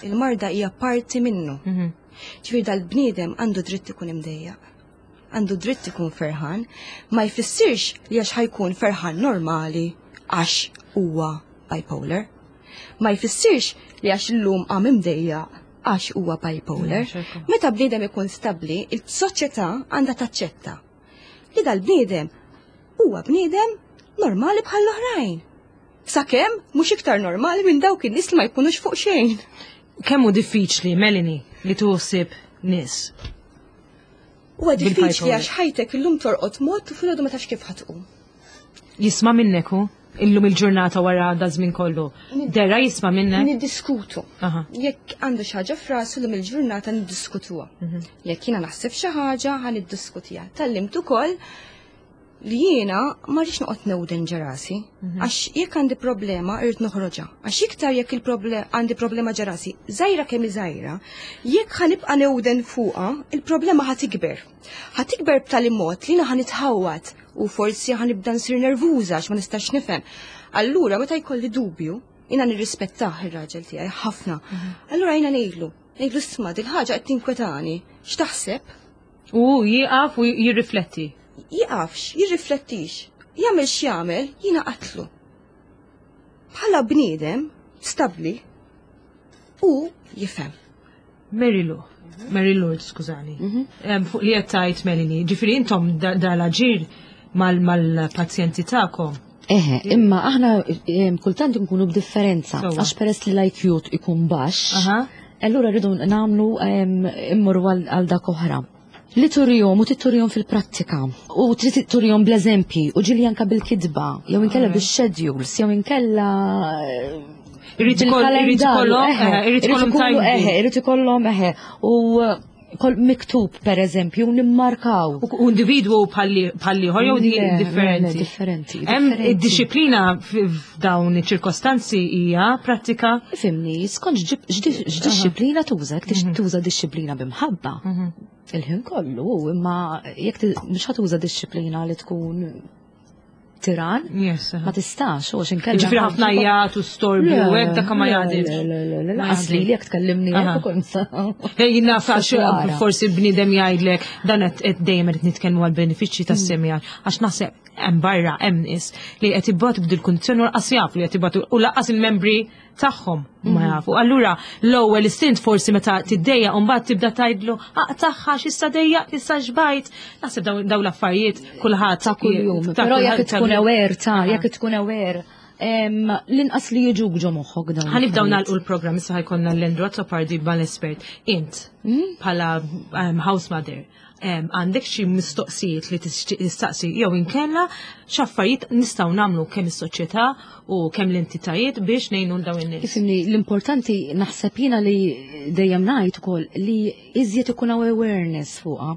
il-marda hija parti minnu. Ġifieri dal-bniedem għandu dritt ikun imdejjaq, għandu dritt ikun ferħan, ma jfissirx li għax ħa jkun ferħan normali għax huwa bipolar. Ma jfissirx li għax illum qam imdejjaq. għax huwa bipolar. Meta bniedem ikun stabbli, il-soċjetà għandha taċċetta li dal-bniedem huwa bniedem normali bħall-oħrajn. Sakemm mhux iktar normali minn dawk in-nies li ma jkunux fuq xejn. Kemm hu diffiċli, Melanie, li tuħsib nies? Huwa diffiċli għax ħajtek illum torqod mod u filgħodu ma tafx kif ħatqum. Jisma' minnek hu? Illum il-ġurnata wara da żmien kollu. Dera jisma' minnek? Niddiskutu. Jekk għandu xi ħaġa f'rasu llum il-ġurnata niddiskutuha. Mhm. Jekk jiena naħseb xi ħaġa ħa niddiskutiha. Tallimt ukoll li jiena ma rridx noqgħod newden ġerasi, mhm. għax jekk għandi problema irrid noħroġha. Għax iktar jekk il-problema għandi problema ġerasi, żgħira kemm żgħira, jekk ħanibqa' newden fuqha, il-problema ħa tikber. Ħa tikber b'tali mod li jiena ħa nitħawwad u forsi ħa nibda nsir nervuża għax ma nistax nifhem. Allura meta jkolli dubju, jiena nirrispettah ir-raġel tiegħi ħafna. Mhm. Allura jiena ngħidlu, ngħidlu isma' dil-ħaġa qed tinkwetani, x'taħseb? U jieqaf u jirrifletti. Jieqafx, jirriflettix. Jagħmel x'jagħmel, jiena qatlu. Bħala bniedem stabbli u jifhem. Mary Lou, Mary Lourdes, skużani. Mhm. Fuq li qed tgħid Melanie, ġifieri intom dal-aġir mal-pazjenti tagħkom. Eħe, imma aħna kultant nkunu b'differenza, għax peress li l-IQ ikun baxx, allura rridu nagħmlu immorru għal dak oħra. Li turihom u titturihom fil-prattika u trid turihom bl-eżempji u ġili anka bil-kitba, jew inkella bix-schedules, jew inkella Irrid ikollhom, irrid ikollhom, eħe, u kol miktub per eżempju nimmarkaw. U individwu bħal ieħor jew differenti. Differenti. Hemm id-disciplina f'dawn iċ-ċirkostanzi hija prattika. Fimni, skont x'dixxiplina tuża, jekk mhm. tuża dixxiplina b'imħabba. Mhm. Il-ħin kollu, imma jekk mhux ħatuża dixxiplina li tkun tiran, ma tistax, u inkella. Ġifri ħafna jgħat u storbju, u hekk dak ma jgħadix. Asli li jekk tkellimni hekk ukoll sa. Jien naf għax forsi bniedem jgħidlek dan qed dejjem qed nitkellmu għal benefiċċji tas-semija għax naħseb hemm barra hemm nies li qed ibatu b'dil kundizzjoni u laqas jafu li qed ibatu u laqas il-membri tagħhom ma mhm. jafu. Allura l-ewwel istint forsi meta tiddejja u mbagħad tibda tgħidlu aqtaħħa x'issa dejja issa xbajt. Naħseb dawn l-affarijiet kulħadd ta' kuljum. Però jekk tkun aware ta' jekk tkun aware l-inqas li jiġuk ġo moħħok dawn. Ħanibdaw nagħlqu l-programm issa ħajkonna l-Andrew Azzopardi mal-espert. Int hmm? bħala house mother għandek xi mistoqsijiet li tistaqsi jew inkella x'affarijiet nistgħu nagħmlu kemm is-soċjetà u kemm l-entitajiet biex ngħinu l dawn in-nies. Ifimni, l-importanti naħseb jiena li dejjem ngħid ukoll li iżjed ikun hawn awareness fuqha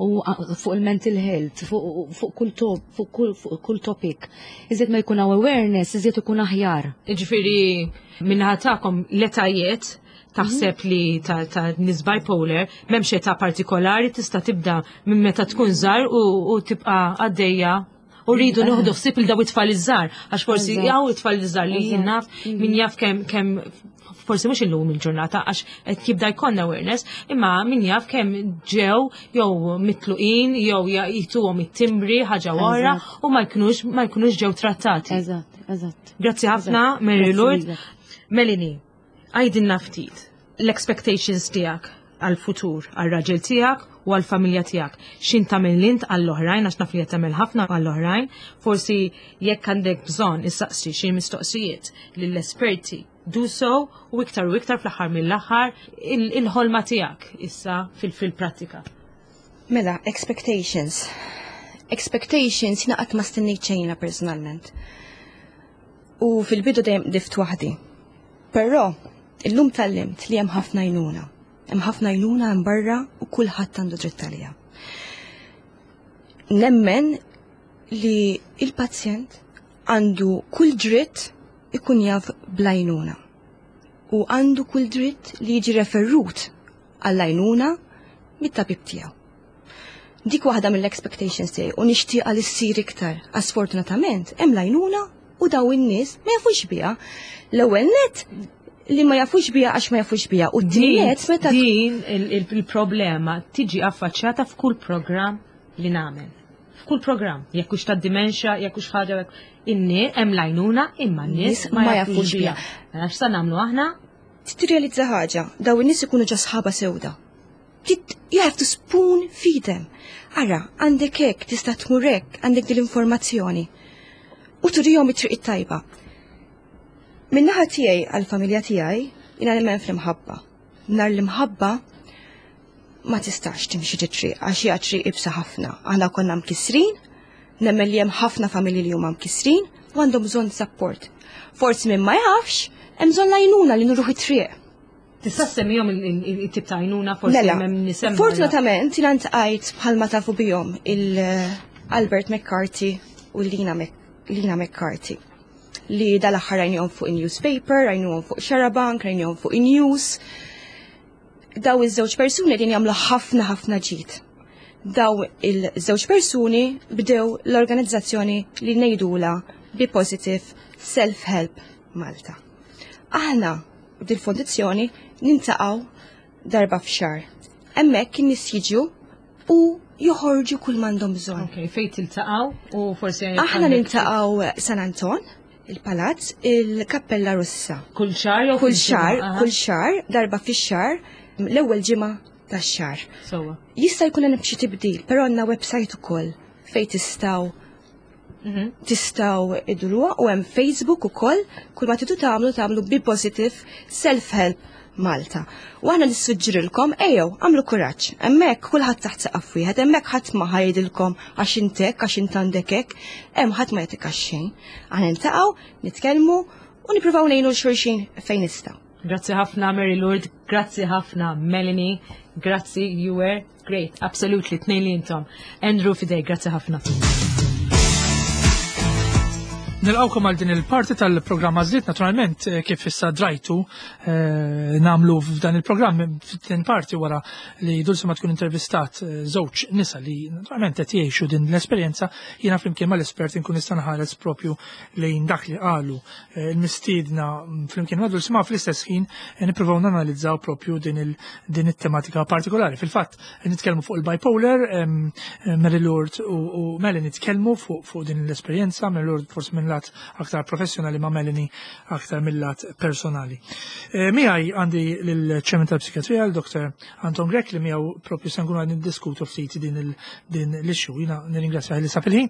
u fuq il-mental health, fuq kull top, fuq kull topic. Iżjed ma jkun hawn awareness, iżjed ikun aħjar. Jiġifieri minnaħa tagħkom l-etajiet taħseb li ta', ta nis bipolar m'hemmx età partikolari tista' tibda minn meta tkun żgħar u, u tibqa' għaddejja u rridu nieħdu ħsieb il daw it-tfal iż-żgħar għax forsi jaw it-tfal iż-żgħar li jien naf mhm. min jaf kemm kemm forsi mhux illum il-ġurnata għax qed jibda jkollna awareness, imma min jaf kemm ġew jew mitluqin jew jituhom it-timbri ħaġa wara u ma jkunux ma jkunux ġew trattati. Eżatt, eżatt. Grazzi ħafna, Mary Lord. Melanie, Għidilna ftit l-expectations tiegħek għall-futur, għar-raġel tiegħek u għall-familja tiegħek. X'int tagħmel int għall-oħrajn għax naf li qed tagħmel ħafna għall-oħrajn. Forsi jekk għandek bżonn issaqsi xi mistoqsijiet lill-esperti do so u iktar u iktar fl-aħħar mill-aħħar il-ħolma tiegħek issa fil-prattika. Mela, expectations. Expectations jiena qatt ma stennejt xejn personalment. U fil-bidu dejjem qdift waħdi. Però, illum tgħallimt li hemm ħafna għajnuna. Hemm ħafna għajnuna hemm barra u kulħadd għandu dritt għaliha. Nemmen li il-pazjent għandu kull dritt ikun jaf bl-għajnuna. U għandu kull dritt li jiġi referrut għall-għajnuna mit-tabib tiegħu. Dik waħda mill-expectations tiegħi u nixtieqha li ssir iktar. Għax sfortunatament hemm l-għajnuna u daw in-nies ma jafux biha. L-ewwel net li ma jafux biha għax ma jafux biha u t-tieni net meta din il-problema tiġi affaċċjata f'kull programm li nagħmel. F'kull programm, jekk hux tad-dimensja, jekk hux ħaġa in-nies hemm l-għajnuna imma n-nies ma jafux biha. Mela x'sa nagħmlu aħna? Tirrealizza ħaġa, daw in-nies ikunu ġa sħaba sewda. You have to spoon feed them. Ara, għandek hekk, tista' tmur hekk, għandek din l-informazzjoni. U turihom it-triq it-tajba. Min-naħa tiegħi għall-familja tiegħi, jiena nemmen fl-imħabba. Nar l-imħabba ma tistax timxi triq għax hija triq ibsa ħafna. Aħna konna mkissrin, nemmen li hemm ħafna familji li huma mkissrin u għandhom bżonn support. Forsi min ma jafx, hemm bżonn lajnuna li nuruh it-triq. Tista' semmihom it-tip ta' għajnuna forsi Mela, hemm nisem. Fortunatament, jiena ntqajt bħalma tafu bihom il-Albert McCarthy u Lina, Mc, Lina McCarthy li dal-aħħar rajnihom fuq in-newspaper, rajnihom fuq Xarabank, rajnihom fuq in-news. Daw iż-żewġ persuni din jagħmlu ħafna ħafna ġid. Daw il-żewġ persuni bdew l-organizzazzjoni li ngħidula Be Positive Self-Help Malta. Aħna dil-fondizzjoni nintaqgħu darba f'xahar. Hemmhekk in-nies jiġu u joħorġu kull m'għandhom bżonn. Ok, fejn tiltaqgħu u forsi Aħna niltaqgħu San Anton, il-Palazz, il-Kappella Russa. kull xahar jew Kull xahar, Aha. kull xahar, darba fix-xahar, l-ewwel ġimgħa tax-xahar. Sewwa. Jista' jkun hemm xi tibdil, però għandna website ukoll fejn tistgħu tistgħu idruha u hemm Facebook ukoll, kull ma tridu tagħmlu tagħmlu Be Positive Self-Help Malta. U aħna nissuġġirilkom ejjew għamlu kuraġġ. Hemmhekk kulħadd taħt saqaf wieħed, hemmhekk ħadd ma ħajdilkom għax intek, għax int għandek hekk, hemm ħadd ma jagħtik xejn. Aħna niltaqgħu, nitkellmu u nippruvaw ngħinu l xulxin fejn nistgħu. Grazzi ħafna Mary Lourdes, grazzi ħafna Melanie, grazzi you were great, absolutely, tnejn li intom. Andrew fidej, grazzi ħafna. Nilqawkom għal din il-parti tal-programm Għażliet, naturalment kif issa drajtu namlu f'dan il-programm f'din parti wara li Dulce ma tkun intervistat żewġ nisa li naturalment qed jgħixu din l-esperjenza, jiena flimkien mal-espert inkun nista' nħares propju lejn dak li qalu il-mistiedna flimkien ma' Dulce ma fl-istess ħin nippruvaw nanalizzaw propju din it-tematika partikolari. Fil-fatt nitkellmu fuq il-bipolar, Mary Lourdes u Melanie nitkellmu fuq din l-esperjenza, Mary Lourdes forsi minn lat aktar professjonali ma' Melanie aktar mill-lat personali. Miegħi għandi lill-ċemen tal-psikjatrija, l-Dr. Anton Grech, li miegħu propju se nkunu qegħdin niddiskutu ftit din l-issue. Jiena nirringrazzjah li sa fil-ħin.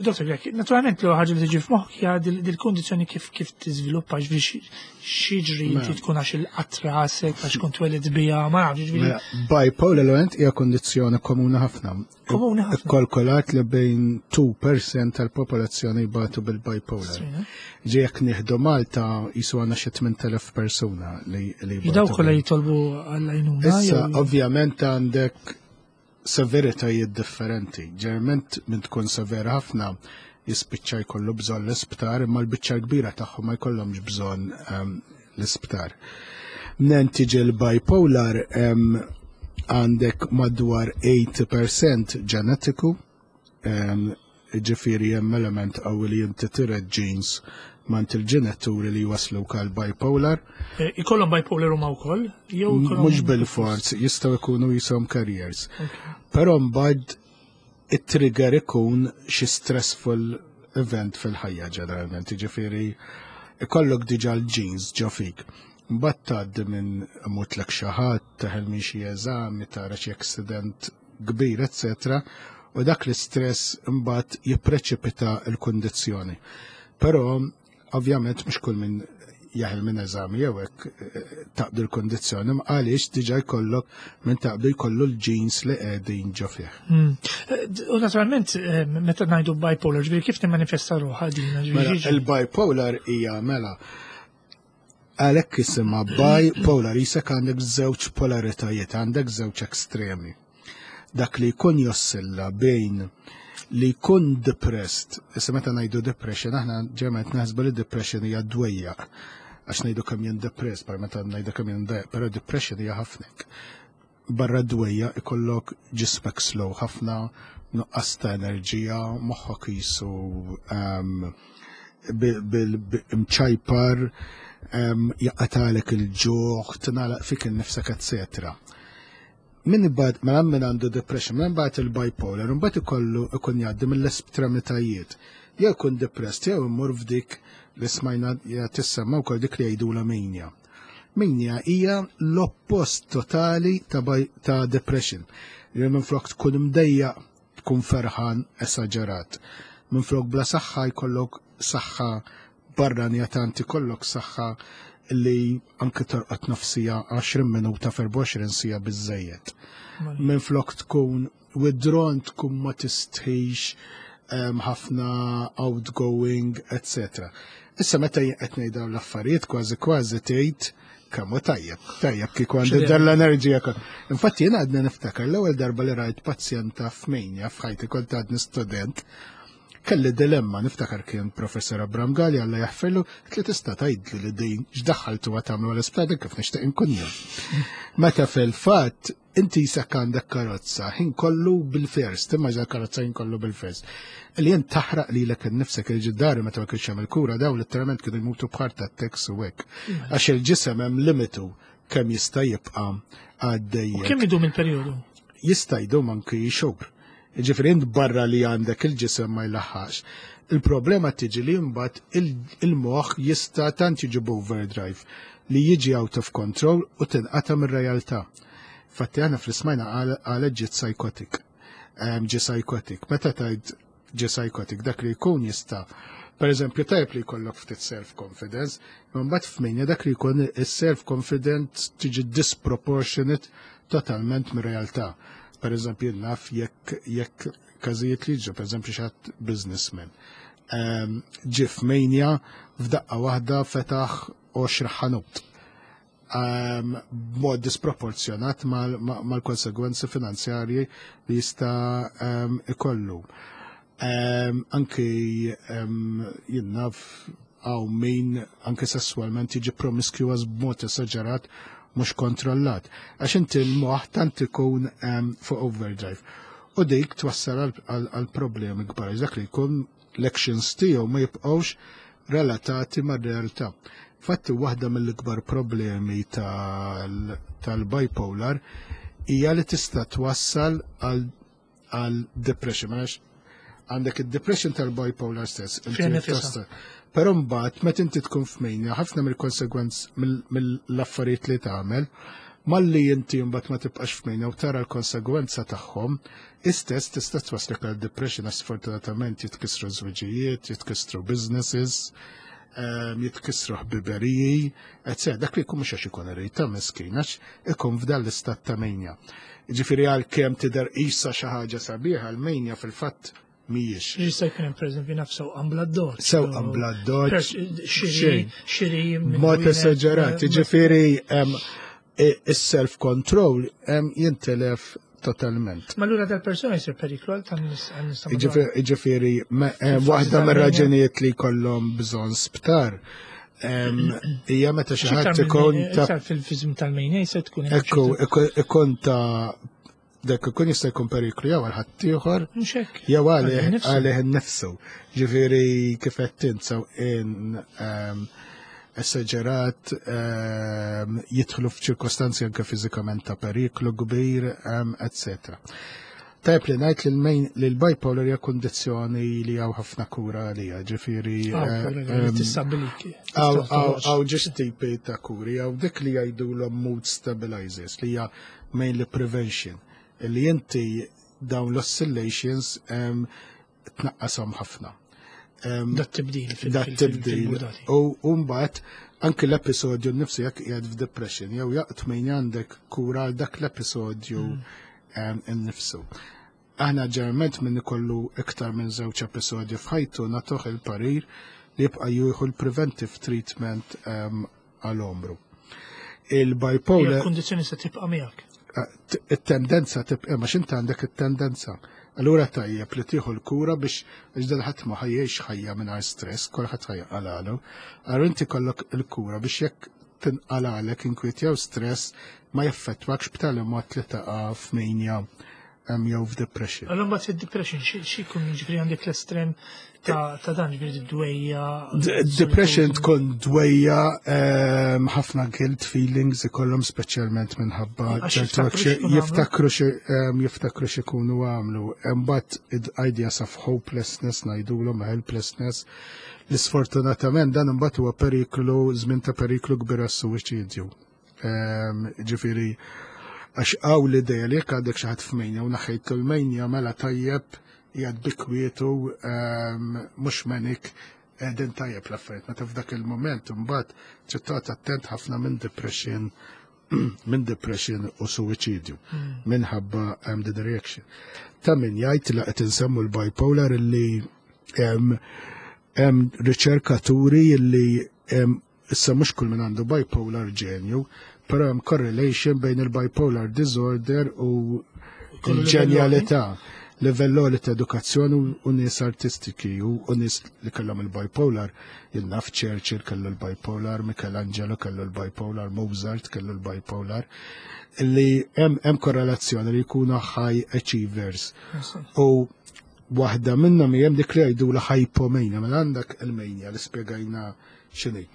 Dr. Grech, naturalment l ħaġa li tiġi f'moħħok hija dil-kundizzjoni kif tiżviluppa, ġifieri x'jiġri Mela. inti tkun għax il-qatt rasek, għax kont twelid biha, ma nafx, ġifieri. Mela, bipolar l hija kondizzjoni komuni ħafna. Komuni ħafna. Ikkalkulat li bejn 2% tal-popolazzjoni jbatu bil-bipolar. Strina. Ġi jekk nieħdu Malta jisu għandna xi 8000 persuna li jbatu. Daw kollha bil- jitolbu għall-għajnuna. Issa, jew- ovvjament għandek severitajiet differenti. Ġeneralment minn tkun severa ħafna jispiċċa jkollu bżonn l-isptar, imma l-biċċa kbira tagħhom ma jkollhomx bżonn l-isptar. Nen tiġi l-bipolar għandek madwar 80% ġenetiku, ġifieri hemm element qawwi li inti tiret genes mant il-ġenituri li waslu għal bipolar. Ikollhom bipolar huma wkoll? Jew ikollhom Mhux bil-forz, jistgħu jkunu jisom carriers. Però mbagħad it-trigger ikun xi stressful event fil-ħajja ġeneralment, jiġifieri ikollok diġà l-genes ġo fik. Mbagħad tgħaddi minn imutlek xi ħadd, teħel minn xi eżami, tara xi accident kbir, eccetera, u dak l-istress imbagħad jippreċipita l-kundizzjoni. Però ovvjament mhux kull min jaħel minn eżami jew hekk taqdu l-kondizzjoni, ma għaliex diġà jkollok minn taqdu jkollu l-genes li qegħdin ġo fih. U naturalment meta ngħidu bipolar, ġifieri kif timmanifesta ruħha din? Ġifieri Mela, xiġri? il-bipolar hija mela għalhekk isimha bipolar, jisek għandek żewġ polaritajiet, għandek żewġ ekstremi. Dak li jkun jossilla bejn li jkun depressed, issa meta ngħidu depression, aħna ġeneralment naħsbu li depression hija dwejjaq, għax ngħidu kemm jien depressed, par meta ngħidu kemm jien dwejjaq, però depression hija ħafna. Barra dwejjaq ikollok ġismek slow ħafna, nuqqas ta' enerġija, moħħok jisu mċajpar, jaqatalek il-ġuħ, tingħalaq fik innifsek, eccetera. Min ibad, mela min għandu depression, minn imbagħad il-bipolar, imbagħad ikollu ikun jgħaddi mill-estremitajiet. Jew ikun depressed, jew imur f'dik li smajna tissemma wkoll dik li jgħidulha mania. Mania hija l-oppost totali ta' depression. Li minflok tkun imdejjaq tkun ferħan esaġerat. Minflok bla saħħa jkollok saħħa barranija, tant ikollok saħħa li anke torqod nofs siegħa, 20 minuta f'24 siegħa biżejjed. Minflok tkun withdrawn, tkun ma tistħix, ħafna outgoing, etc. Issa meta jien qed ngħid dawn l-affarijiet, kważi kważi tgħid kemm hu tajjeb, tajjeb kieku għandi dan l-enerġija. Infatti jien għadni niftakar l-ewwel darba li rajt pazjenta f'mania f'ħajti, kont għadni student, kelli dilemma, niftakar kien Professor Abram Gali, Alla jaħfirlu, li tista' tgħidli li din x'daħħaltu tagħmlu għal-isptar, kif nixtieq inkun jien. Meta fil-fatt inti jisek għandek karozza, ħin kollu bil-first, timmaġina karozza ħin kollu bil-first. Li jien taħraq li lek nifsek il-ġiddari meta ma kienx hemm il-kura, daw letteralment kienu jmutu b'heart attacks u hekk. Għax il-ġisem hemm limitu kemm jista' jibqa' għaddej. Kemm idum il-perjodu? Jista' jdum anki xhur. Ġifieri int barra li għandek il-ġisem ma jlaħħax. Il-problema tiġi li mbagħad il-moħħ jista' tant jiġi overdrive li jiġi out of control u tinqata' mir-realtà. Fatti aħna fl-ismajna għal ġiet psychotic. Ġi psychotic. Meta tgħid ġi psychotic, dak li jkun jista', per eżempju, tajb li jkollok ftit self-confidence, imma mbagħad f'mania dak li jkun is-self-confidence tiġi disproportionate totalment mir-realtà. Per eżempju, naf jekk każijiet li ġu, per eżempju, xi ħadd businessman, ġie f'mania, f'daqqa waħda fetaħ 20 ħanut b'mod disproporzjonat mal-konsegwenzi finanzjarji li jista' ikollu. Anki jien naf hawn min anki sessualment jiġi promiscuous b'mod esaġerat mhux kontrollat. Għax inti l-moħħ tant ikun fuq overdrive. U dik twassal għal problemi kbar. Dak li jkun l-actions tiegħu ma jibqgħux relatati mar-realtà. Fatti waħda mill-ikbar problemi tal-bipolar hija li tista' twassal għal depression. Għax għandek id-depression tal-bipolar stess. Inti Fiha nifisha. Però mbagħad meta inti tkun f'mania, ħafna mill-konsegwenz mill-affarijiet li tagħmel, malli inti mbagħad ma tibqax f'mania u tara l-konsegwenza tagħhom, istess tista' twaslek għal depression għax sfortunatament jitkissru żwiġijiet, jitkissru businesses, jitkissru ħbiberiji, etc. Dak li jkun mhux għax ikun irid ta' miskin, għax ikun f'dan l-istat ta' mania. Ġifieri għalkemm tidher qisha xi ħaġa sabiħa, l-mania fil-fatt mhijiex. Jista' jkun hemm, pereżempju, naf sewqan bla doċ. Sewqan bla doċ. Xiri, Xejn. xiri minn Mod wieħed, esaġerat, ġifieri is-self-control jintilef totalment. Ma allura dal-persuna jsir periklu għal tan-nies għan-nies ta' madwar. Ġifieri, Fil-fażi waħda tal-mania. mir-raġunijiet li jkollhom bżonn sptar hija meta xi Xi ħadd iktar ikun ta' iktar fil-fizm tal-mania se tkun hemm Ekku, ċertu- ikun ta' dak ikun jista' jkun periklu jew għal ħaddieħor Mhux hekk. jew Għalih innifsu. għalih innifsu. Ġifieri kif qed tinsaw in esaġerat, jidħlu f'ċirkostanzi anke fiżikament ta' periklu kbir, etc. Tajb li ngħid li l-bipolar hija kundizzjoni li hawn ħafna kura għalija, ġifieri Kura li tistabilik. Hawn ġiex tipi ta' kuri, hawn dik li jgħidulhom mood stabilizers, li hija mainly prevention, li inti dawn l-oscillations tnaqqashom ħafna. Dat tibdil Dat tibdil. fil-mudati. U mbagħad anke l-episodju nnifsu, jekk qiegħed f'depression jew jaqt min għandek kura għal dak l-episodju innifsu. Aħna ġeneralment minn ikollu iktar minn żewġ episodji f'ħajtu nagħtuh il-parir li jibqa' jieħu l-preventive treatment għal għomru. Il-bipolar Il-kondizzjoni se tibqa' miegħek. It-tendenza tibqa', ma x'inti għandek it-tendenza. Allura tajjeb li tieħu l-kura biex, għax dan ħadd ma ħajjex ħajja mingħajr stress, kulħadd ħajqalalu. Allura inti kollok il-kura biex jekk tinqalalek inkwiet jew stress ma jaffettwakx b'tali mod li taqa' f'mania. Jew f'depression. Allora mbagħad fid-depression xi jkun, jiġifieri għandek l-estrem ta' dan, ġifieri dwejja. Depression tkun dwejja, ħafna guilt feelings ikollhom, speċjalment minħabba ċertu jiftakru x'ikunu għamlu. Imbagħad ideas of hopelessness ngħidulhom, helplessness. Li sfortunatament dan imbagħad huwa periklu, żmien ta' periklu kbir għas-suwiċidju. Ġifieri għax għaw l-ideja li jekk għandek xi ħadd f'mania u naħejt l-mania, mela tajjeb, jgħad bikwietu, mhux manic, qegħdin tajjeb l-affarijiet. Meta f'dak il-moment imbagħad trid toqgħod attent ħafna minn depression u suwiċidju minħabba the reaction. Ta' min jgħid li qed insemmu l-bipolar li hemm riċerkaturi li issa mhux kull min għandu bipolar ġenju, però hemm correlation bejn il-bipolar disorder u il-ġenjalità, livell li ta' edukazzjoni u nies artistiki u nies li kellhom il-bipolar. Jien naf Churchill kellu l-bipolar, Michelangelo kellu l-bipolar, Mozart kellu l-bipolar, li hemm korrelazzjoni li jkunu high achievers. U waħda minnhom hemm dik li jgħidu la hypomania, mela għandek il-mania li spjegajna x'inhi.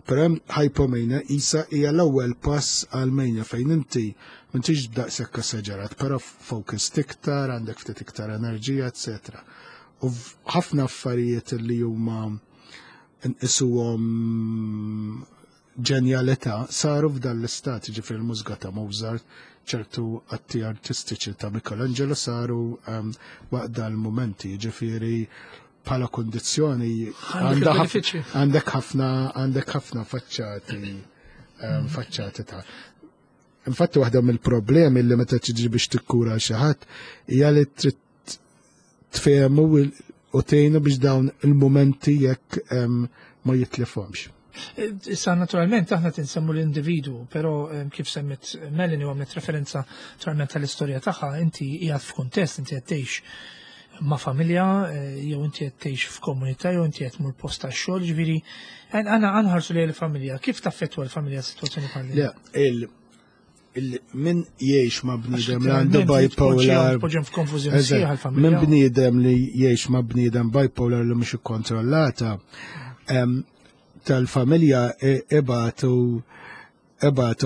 Però hemm hypomania, isa hija l-ewwel pass għal mania, fejn inti m'intix daqshekk esaġerat, però focused iktar, għandek ftit iktar enerġija, etc. U ħafna affarijiet li huma nqisuhom ġenjalità saru f'dan l-istat, ġifieri l-mużika ta' Mozart, ċertu atti artistiċi ta' Michelangelo saru waqt dal-momenti, ġifieri bħala kondizzjoni għandek ħafna faċċati ta'. Infatti waħda mill-problemi li meta tiġi biex tikkura xi ħadd hija li trid tfehmu u tgħinu biex dawn il-momenti jekk ma jitlifhomx. Issa naturalment aħna tinsemmu l-individu, però kif semmit Melanie u għamlet referenza naturalment tal-istorja tagħha, inti qiegħed f'kuntest, inti qed tgħix ma' familja, jew inti qed tgħix f'komunità, jew inti qed tmur post tax-xogħol, ġifieri għandna nħarsu lejn il-familja. Kif taffettwa l-familja s-sitwazzjoni bħal din? Le, min jgħix ma' bniedem li għandu bipolar. Poġġem f'konfużjoni sħiħa l-familja. Min bniedem li jgħix ma' bniedem bipolar li mhux ikkontrollata, tal-familja ibatu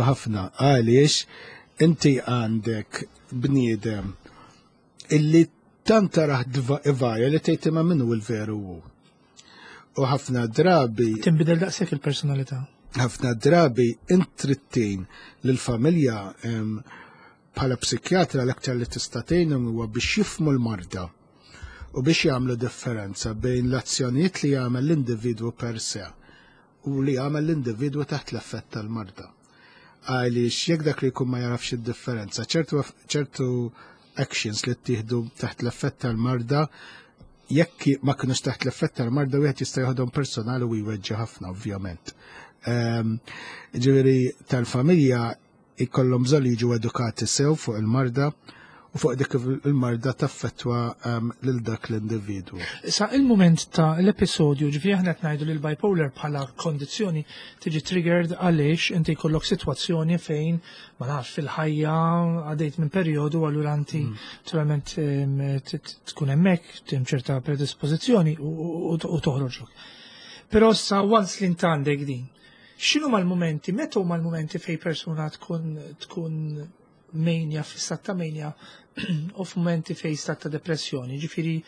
ħafna, għaliex inti għandek bniedem illi tant taraħ ivarja li tgħid, "Imma minnu l-veru hu?" U ħafna drabi Tinbidel daqshekk il-personalità. Ħafna drabi intrittin lill-familja, bħala psikjatra l-aktar li tista' tgħinhom huwa biex jifhmu l-marda u biex jagħmlu differenza bejn l-azzjonijiet li jagħmel l-individwu per se u li jagħmel l-individwu taħt l-effett tal-marda. Għaliex jekk dak li jkun ma jarafx id-differenza, ċertu actions li ttieħdu taħt l-effett tal-marda, jekk ma kinux taħt l-effett tal-marda, wieħed jista' joħodhom personali u jweġġa' ħafna, ovvjament. Ġifieri tal-familja ikollhom bżonn li jiġu edukati sew fuq il-marda u fuq dik il-marda taffettwa lil dak l-individwu. Sa il-moment ta' l-episodju, ġifieri aħna qed ngħidu li l-bipolar bħala kondizzjoni tiġi triggered għaliex inti jkollok sitwazzjoni fejn, ma nafx, fil-ħajja għaddejt minn perjodu, allura inti naturalment tkun hemmhekk tim ċerta predispożizzjoni u toħroġlok. Però sa once li int għandek din, x'inhu mal-momenti, meta huma l-momenti fejn persuna tkun mania, fi stat ta' mania u f'momenti fejn stat ta' depressjoni, ġifieri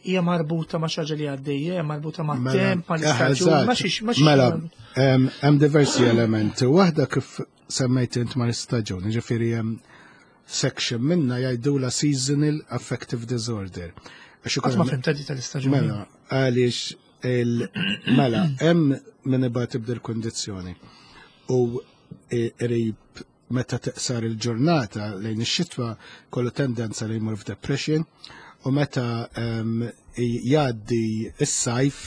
hija marbuta ma' xi ħaġa li għaddejja, hija marbuta ma' Mela, temp, ma' l-istaġun, ma' xiex, ma' xiex. Mela, hemm diversi elementi. Waħda kif semmejt int ma' l-istaġun, ġifieri hemm section minna jgħidula seasonal affective disorder. Għax Qatt ma fhimt di tal-istaġun. Mela, għaliex mela, hemm min ibati b'dil kondizzjoni u qrib meta teqsar il-ġurnata lejn ix-xitwa kollu tendenza li jmur f'depression u meta jgħaddi is-sajf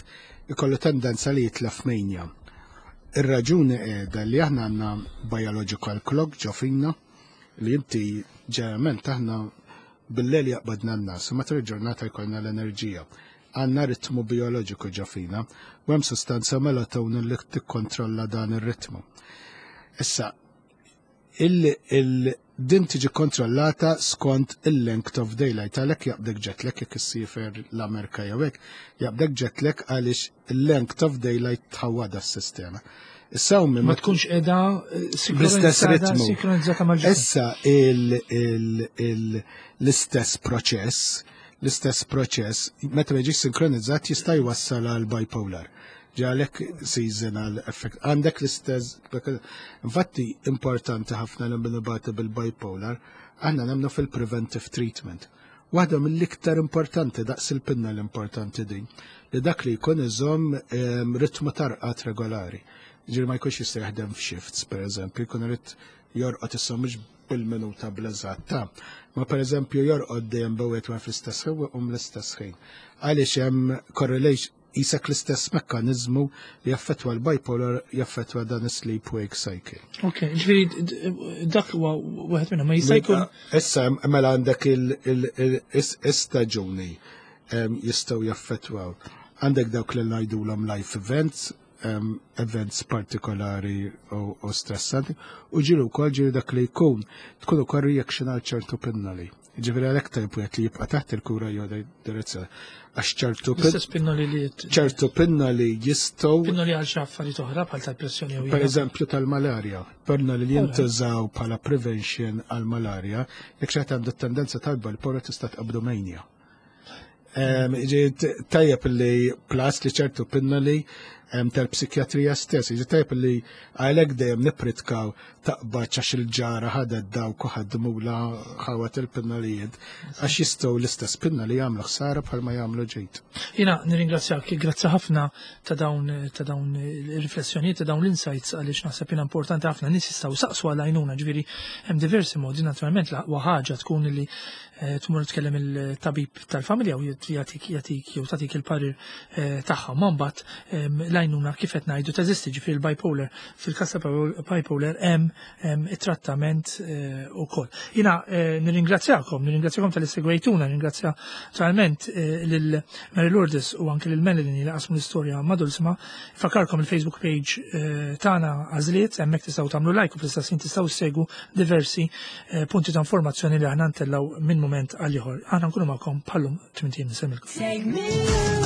ikollu tendenza li jitlef mania. Ir-raġuni qiegħda li aħna għandna biological clock ġo fina li inti ġeneralment aħna bil-lejl jaqbadna n-ngħas u matul il-ġurnata jkollna l-enerġija. Għandna ritmu bioloġiku ġo fina u hemm sustanza melatonin li tikkontrolla dan ir-ritmu. Issa, Din tiġi kontrollata skont il-length of daylight, għalhekk jaqbdek jet lag jekk issiefer l-Amerika jew hekk, jaqbdek jet lag għaliex il-length of daylight tħawwada s-sistema. Issa ma tkunx qiegħda bl-istess ritmu. Sinkronizzata mal-ġisem. Issa l-istess proċess, l-istess proċess, meta ma jiġix sinkronizzat jista' jwassal għal bipolar. Għalhekk seasonal effect. Għandek l-istess, infatti importanti ħafna li nibatu bil-bipolar, aħna nemmnu fil-preventive treatment. Waħda mill-iktar importanti daqs il-pinna l-importanti din, li dak li jkun iżomm ritmu ta' rqad regolari. Ġifieri ma jkunx jista' jaħdem f'shifts, per eżempju, jkun irid jorqod issa mhux bil-minuta bl-eżatt ma per eżempju jorqod dejjem bejn ma fl-istess ħin u l-istess ħin. Għaliex hemm correlation jisek l-istess mekkanizmu li jaffetwa l-bipolar, jaffetwa dan is-sleep wake cycle. Ok, ġifieri dak huwa wieħed minnhom, ma jista' jkun. Issa mela għandek il-istaġuni jistgħu jaffetwaw. Għandek dawk li ngħidulhom life events, events partikolari u stressanti, u ġieli wkoll ġieli dak li jkun tkun ukoll reaction għal ċertu pinnoli. Ġifieri għalhekk tajb wieħed li jibqa' taħt il-kura jew direzzjoni. Għax ċertu L-istess pinnoli li ċertu pinnoli jistgħu Pinnoli għal xi affarijiet oħra bħal tal-pressjoni jew Per eżempju tal-malarja, pinnoli li jintużaw bħala prevention għal-malarja, jekk xi għandu tendenza tal-bipolar tista' tqabdu mania. Tajjeb li plus li ċertu pinnoli tal-psikjatrija stess, ġi tajjeb li għalhekk dejjem nippritkaw taqbad għax il-ġara ħadet dawk u ħadmula ħawat il-pinnolijiet, għax jistgħu l-istess pinna li jagħmlu ħsara bħalma jagħmlu ġejt. Jiena nirringrazzjak, grazzi ħafna ta' dawn il-riflessjonijiet, ta' dawn l-insights, għaliex naħseb jiena importanti ħafna nies jistgħu saqsu għal għajnuna, ġifieri hemm diversi modi. Naturalment l-aqwa ħaġa tkun li tmur tkellem il-tabib tal-familja u jagħtik jew tagħtik il-parir tagħha. Ma mbagħad l-għajnuna kif qed ngħidu teżisti, ġifieri il-bipolar, fil-każ ta' bipolar hemm it-trattament ukoll. Jiena nirringrazzjakom, nirringrazzjakom talli segwejtuna, nirringrazzja naturalment lil Mary Lourdes u anke lil Melanie li qasmu l-istorja ma' Dulcima. Fakkarkom il-Facebook page tagħna Għażliet, hemmhekk tistgħu tagħmlu like u fl-istess ħin tistgħu ssegwu diversi punti ta' informazzjoni li aħna ntellgħu minn moment għal ieħor. Aħna nkunu magħkom bħallum 8 ijiem. Nsellmilkom. Take me.